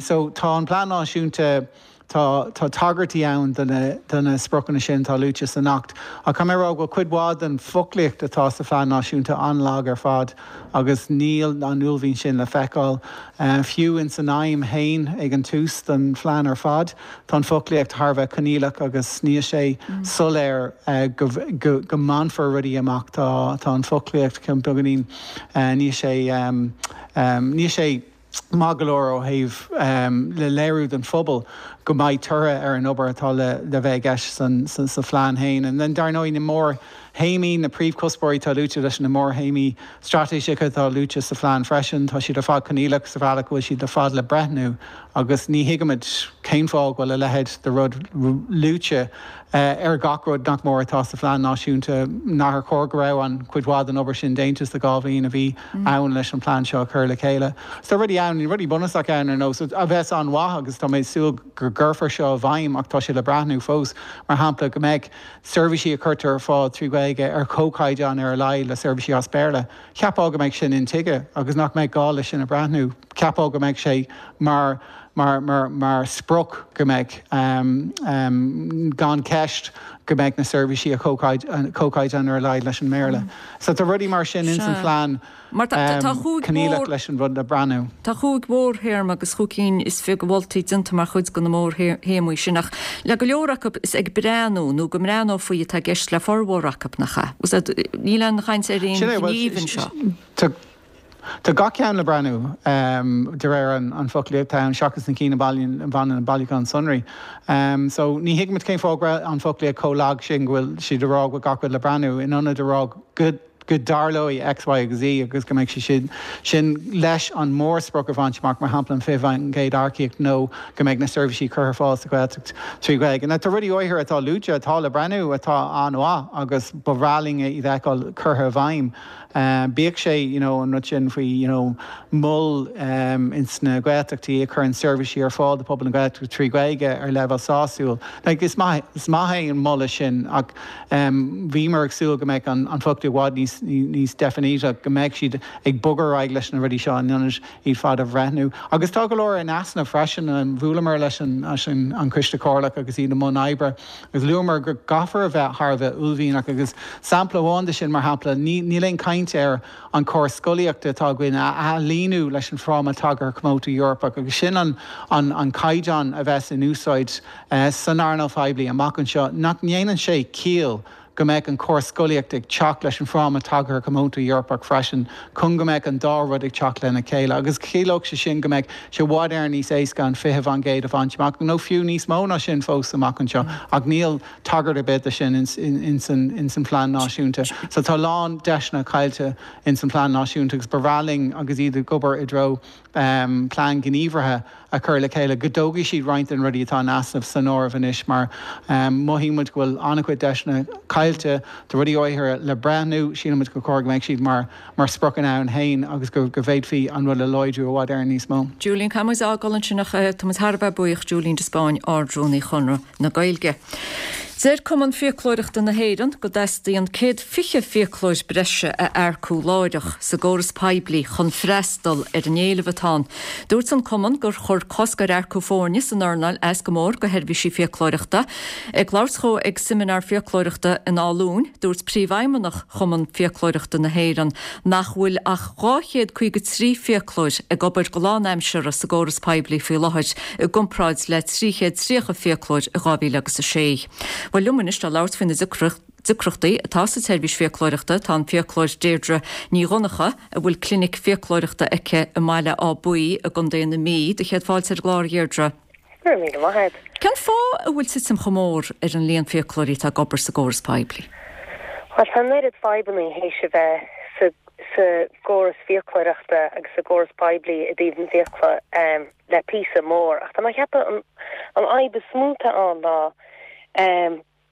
So tá an Plean Náisiúnta. Tá tá tagairtí ann do na do na spriocanna sin atá luaite san Acht, ach caithfidh mé a rá go bhfuil cuid mhaith den foclaíocht atá sa Phlean Náisiúnta an-lag ar fad agus níl an uaillmhian sin le feiceáil. Fiú ins an aidhm féin ag an tús don phlean ar fad, tá an foclaíocht thar a bheith coinníollach agus níl sé soiléir go go go mbainfear rudaí amach. Tá tá an foclaíocht beagáinín, níl sé níl sé. maith go leor ó thaobh le léiriú don phobal go mbeidh toradh ar an obair atá le bheith i gceist sa phlean féin. And then dar ndóigh na mórthéamaí, na príomhchuspóirí atá luaite leis na mórthéamaí straitéiseacha atá luaite sa phlean freisin, tá siad ar fad coinníollach sa bhealach go bhfuil siad ar fad le breithniú agus ní thuigimid cén fáth go bhfuil a leithéid de rud luaite ar gach rud nach mór atá sa phlean náisiúnta, nár chóir go raibh an chuid mhaith den obair sin déanta sna 2 bhliain a bhí ann leis an plean seo a chur le chéile. So tá rudaí ann, rudaí bunúsacha ann ar nós, a bheas an-mhaith agus tá mé ag súil go gcuirfear seo i bhfeidhm ach tá sé le breathnú fós, mar shampla go mbeidh seirbhísí a chuirtear ar fáil trí Ghaeilge ar chomhchaighdeán ar a laghad le seirbhísí as Béarla. Cheapfá go mbeadh sin intuigthe agus nach mbeadh gá leis sin a bhreathnú. Cheapfá go mbeadh sé mar mar mar mar sprioc go mbeadh gan ceist go mbeadh na seirbhísí ar chomhchaighdeán ar a laghad leis an mBéarla. So tá rudaí mar sin ins an phlean coinníollach leis an rud le breathnú. Tá chúig mhórthéarma agus chúig cinn is fiche de mholtaí déanta mar chuid de na mórthéamaí sin ach le go leor acu is ag breathnú nó go mbreathnófaí atá i gceist le formhór acu, nach ea? Níl aon chaint ar aon ghníomh anseo. Tá gach ceann le breathnú, de réir an foclaíocht ann, seachas na cinn a bhaineann le bailiúchán sonraí. So, ní thuigimid cén fáth go raibh an foclaíocht chomh lag sin go bhfuil siad ag rá go bhfuil gach rud le breathnú, in ionad a rá go go dtarlóidh X, Y agus Z agus go mbeidh sé sin sin leis an mórsprioc a bhaint amach, mar shampla an 20% earcaíocht nó go mbeidh na seirbhísí curtha ar fáil sa Ghaeltacht trí Ghaeilge. Now, tá rudaí áirithe atá luaite atá le breathnú atá an-mhaith agus ba bhreá linn iad a fheiceáil curtha i bhfeidhm. Bíodh sé you know an rud sin faoi you know mol ins na Gaeltachtaí a chuireann seirbhísí ar fáil do phobal na Gaeltachta trí Ghaeilge ar leibhéal sásúil. Like is maith, is maith é an moladh sin ach bhíomar ag súil go mbeadh an an foclaíocht i bhfad níos níos deifníde, go mbeadh siad ag bogadh ar aghaidh leis na rudaí seo in ionad iad fad a bhreithniú. Agus tá go leor in easnamh freisin. Bhuaileamar leis an leis an an Coiste Comhairleach agus iad i mbun oibre. Agus luamar go gcaithfear a bheith thar a bheith uaillmhianach agus sampla amháin de sin, mar shampla, níl aon chaint ar an chóras scolaíochta atá againn a ailíniú leis an Fráma Tagartha Cuótaí Eorpach agus sin an an caighdeán a bheas in úsáid san earnáil phoiblí amach anseo, nach ndéanann sé ciall. go mbeadh an córas scolaíochta ag teacht leis an Fráma Tagartha Comónta Eorpach freisin, chun go mbeadh an dá rud ag teacht lena chéile. Agus chiallódh sé sin go mbeadh sé i bhfad Éireann níos éasca an 20% a bhaint amach, nó fiú níos mó ná sin fós amach anseo. Ach níl tagairt ar bith de sin ins an phlean náisiúnta. So tá a lán deiseanna caillte ins an phlean náisiúnta agus ba bhreá linn agus iad ag obair i dtreo plean gníomhartha a chur le chéile, go dtógfaidh siad roinnt de na rudaí atá in easnamh san áireamh anois mar mothaíonn muid go bhfuil an-chuid deiseanna caillte, tá rudaí áirithe le breithniú, síleann muid gur chóir go mbeadh siad mar mar spriocanna ann féin agus go bhféadfaí an rud a láidriú i bhfad Éireann níos mó. Julian, caithfidh muid a fhágáil ansin ach tá muid thar a bheith buíoch, Julian de Spáinn, Ard-Rúnaí Chonradh na Gaeilge. Deir Cumann Fiaclóireachta na hÉireann go dteastaíonn 120 fiaclóir breise a earcú láithreach sa gcóras poiblí chun freastal ar an éileamh atá ann. Dúirt an Cumann gur chuir cosc ar earcú foirne san earnáil as go mór do sheirbhísí fiaclóireachta. Ag labhairt dhó ag seimineár fiaclóireachta in Áth Luain, dúirt Príomhfheidhmeannach Chumann Fiaclóireachta na hÉireann nach bhfuil ach 253 fiaclóir ag obair go lánaimseartha sa gcóras poiblí faoi láthair i gcomparáid le 330 fiaclóir i 2006. Bhuel, liom anois le labhairt faoi na deacrachtaí atá sa tseirbhís fiaclóireachta tá an fiaclóir Deirdre Ní Dhonncha, a bhfuil clinic fiaclóireachta aici i mBaile Átha Buí i gContae na Mí. Do chéad fáilte ar an gclár, a Dheirdre. Go raibh míle maith agat. Cén fáth a bhfuil titim chomh mór ar an líon fiaclóirí atá ag obair sa gcóras poiblí? Bhuel, tá an oiread fadhbannaí théis a bheith sa sa gcóras fiaclóireachta agus sa gcóras poiblí i dtaobh na bhfiacla le píosa mór ach tá mé ag ceapadh an an fhadhb is mó atá ann ná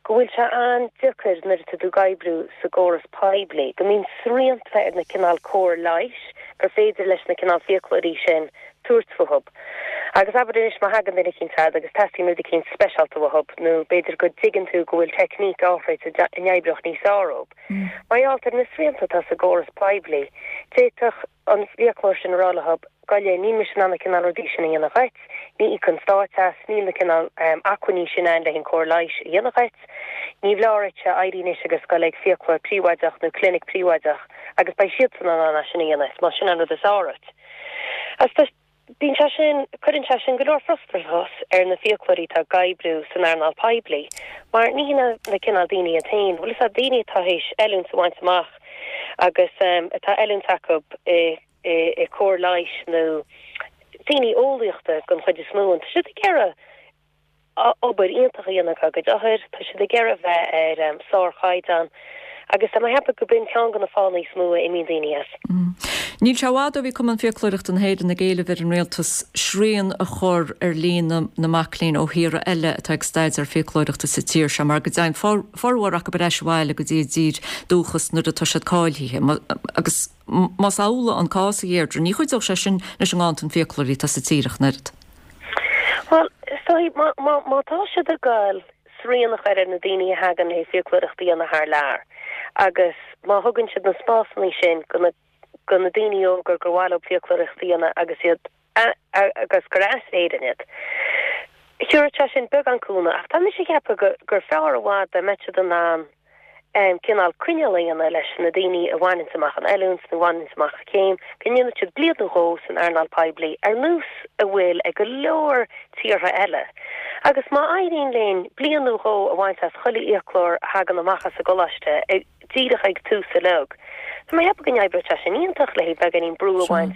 go bhfuil sé an-deacair nuair atá tú ag oibriú sa gcóras poiblí, go mbíonn srianta ar na cineál cóir leighis gur féidir leis na cineál fiaclóirí sin tabhairt fúthub. Agus abair anois má thagann duine eicínt chugat agus teastaíonn rud eicínt speisialta uathub nó b'fhéidir go dtuigeann tú go bhfuil teicníc áithrid a n-oibreodh níos fearr dhób. Mar gheall ar na srianta atá sa gcóras poiblí, d'fhéadfadh an fiaclóir sin a rá leothub, gabh i leith, níl mise in ann na cineál rudaí sin a dhéanamh dhuit, ní íocann an Stát as, níl na cineál acmhainní sin ann le an cóir leighis a dhéanamh dhuit, ní bhfearr dhuitse éirí anois agus goil ag fiaclóir príobháideach nó clinic príobháideach agus beidh siadsan in ann é sin a dhéanamh, más sin an rud is fearr dhuit. Agus tá, bíonn sé sin, cuireann sé sin go leor frustrachas ar na fiaclóirí atá ag oibriú san earnáil poiblí mar ní hin na cineál daoine iad féin, bhfuil fhios a'd, daoine atá théis oiliúint a bhaint amach agus atá oiliúint acu i i cóir leighis nó daoine eolaíochta den chuid is mó, tá siad ag iarraidh obair iontach a dhéanamh dá gcuid othair, tá siad ag iarraidh bheith ar sárchaighdeán agus tá mé ag ceapadh go b'in ceann de na fáthanna is mó a imíonn daoine as. Níl sé i bhfad ó bhí Cumann Fiaclóireachta na hÉireann ag éileamh ar an Rialtas srian a chur ar líon na mac léinn ó thíortha eile atá ag staidéar fiaclóireachta sa tír seo mar go dtéann formhór acu ar ais abhaile go dtí a dtír dúchas nuair atá siad cáilithe agus Más amhlaidh an cás, a Dheirdre, ní chuideodh sé sin leis an nganntan fiaclóirí atá sa tír ach an oiread. Bhuel, is dóigh, má tá siad ag goil srian a chur ar na daoine a thagann le fiaclóireacht a dhéanamh thar lear agus má thugann siad na spásanna sin go na daoine óga gur mhaith leo fiaclóireacht a dhéanamh agus iad agus gur as Éirinn iad. Thabharfadh sé sin beagán cúnamh, ach tá mise ag ceapadh gur fearr i bhfad dá mbeadh siad in ann cineál coinníoll a dhéanamh leis na daoine a bhaineanns amach an oiliúint nó a bhaineanns amach an chéim, go ndéanfaidh siad bliain nó dhó san earnáil poiblí ar nós a bhfuil ag go leor tíortha eile. Agus má éiríonn linn bliain nó dhó a bhaint as chuile fhiaclóir a thagann amach as an gcoláiste díreach ag tús uilig, tá mé ag ceapadh go n-oibreodh sé sin iontach le beagáinín brú a bhaint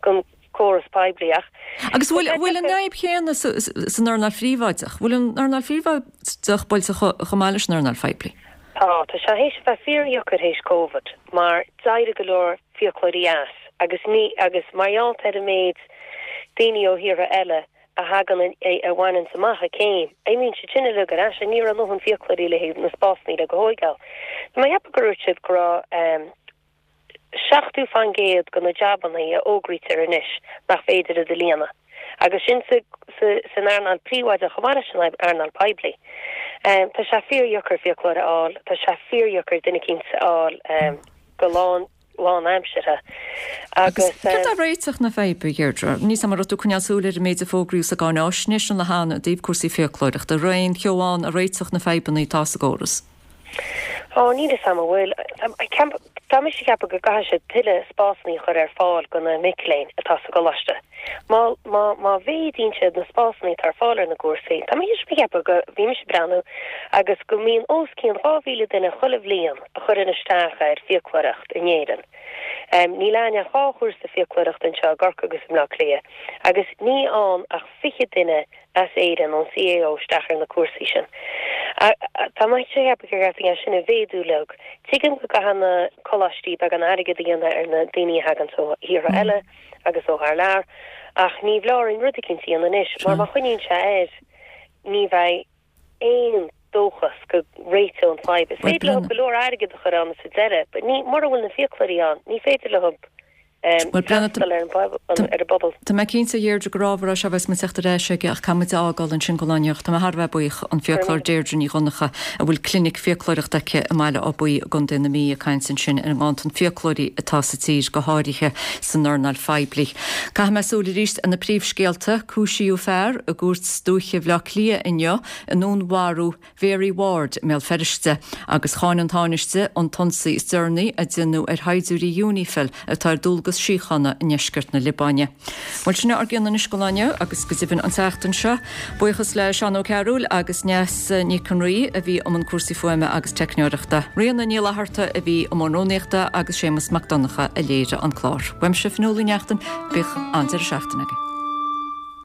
den córas poiblí ach. Agus bhfuil bhfuil an fhadhb chéanna san earnáil phríobháideach? Bhfuil an earnáil phríobháideach buailte chomh maith leis an earnáil phoiblí? Tá, tá sé théis a bheith fíordheacair théis Covid mar d'éirigh go leor fiaclóirí as agus ní agus mar gheall ar an méid daoine ó thíortha eile a thagann a bhaineanns amach a céim, imíonn siad sin uilig ar ais, ní raibh a ndóthain fiaclóirí le haghaidh na spásanna le go thóigeáil. Tá mé ag ceapadh gur dhúirt siad go raibh 70% de na jabannaí a fhógraítear anois nach féidir iad a líonadh, agus sin san earnáil príobháideach chomh maith leis an earnáil poiblí. Tá sé fíordheacair fiaclóir a fháil, tá sé fíordheacair duine eicínt a fháil go lán lánaimseartha agus. Céard é réiteach na faidhbe, a Dheirdre? Níl 's a'm an raibh tú ag coinneáil súil ar an méid a fógraíodh sa gcáináisnéis an lá cheana i dtaobh cúrsaí fiaclóireachta. An raibh aon cheo ann a réiteodh na fadhbanna atá sa gcóras? Ó, níl 'fhios a'm an bhfuil. Tá mise ag ceapadh go gcaithfidh siad tuilleadh spásanna a chur ar fáil do na mic léinn atá sa gcoláiste. Má, má, má mhéadaíonn siad na spásanna atá ar fáil ar na gcúrsaí, tá mise ag ceapadh go, bhí mise ag breathnú agus go mbíonn os cionn 2,000 duine chuile bhliain a chuireann isteach ar fiaclóireacht in Éirinn. Níl againn ach dhá chúrsa fiaclóireachta anseo i gCorcaigh agus i mBleá Cliath agus ní fhaigheann ach 20 duine as Éirinn ón CAO isteach ar na cúrsaí sin. Tá mise ag ceapadh gur cheart é sin a mhéadú uilig. Tuigim go gcaithfidh na coláistí beagán airgead a dhéanamh ar na daoine a thaganns ó thíortha eile agus ó thar lear ach ní bheidh orainn rud eicínt a dhéanamh anois mar má choinníonn sé air ní bheidh aon dóchas go réiteoidh an fadhb. Is féidir leo go leor airgead a chur ann sa deireadh but ní, mura bhfuil na fiaclóirí ann ní féidir leo freastal ar an bpobal. Tá mé cinnte, a Dheirdre, gur ábhar é seo a bheas muid ag teacht ar ais aige ach caithfidh muid é a fhágáil ansin don lá inniu. Tá mé thar a bheith buíoch, an fiaclóir Deirdre Ní Dhonncha, a bhfuil clinic fiaclóireachta aici i mBaile Átha Buí i gContae na Mí, ag caint ansin ar an nganntan fiaclóirí atá sa tír, go háirithe san earnáil phoiblí. Caithfidh mé súil arís ar na príomhscéalta. Cúisíodh fear i gCúirt Dúiche Bhaile Átha Cliath inniu i ndúnmharú Mhary Ward i mBéal Feirste agus cháin an Tánaiste an t-ionsaí is deireanaí a déanadh ar shaighdiúirí Unifil atá ar dualgas síochána i ndeisceart na Liobáine. Bhuel, sin é ár gcion anois don lá inniu agus go deimhin an tseachtain seo. Buíochas le Seán Ó Cearúil agus Neasa Nic an Rí a bhí i mbun cúrsaí fuaime agus teicneoireachta. Ríona Ní Fhlatharta a bhí i mbun rúnaíochta agus Séamus Mac Donncha a léirigh an clár. Uaimse, Fionnuala Ní Neachtain, bíodh an-deireadh seachtaine agaibh.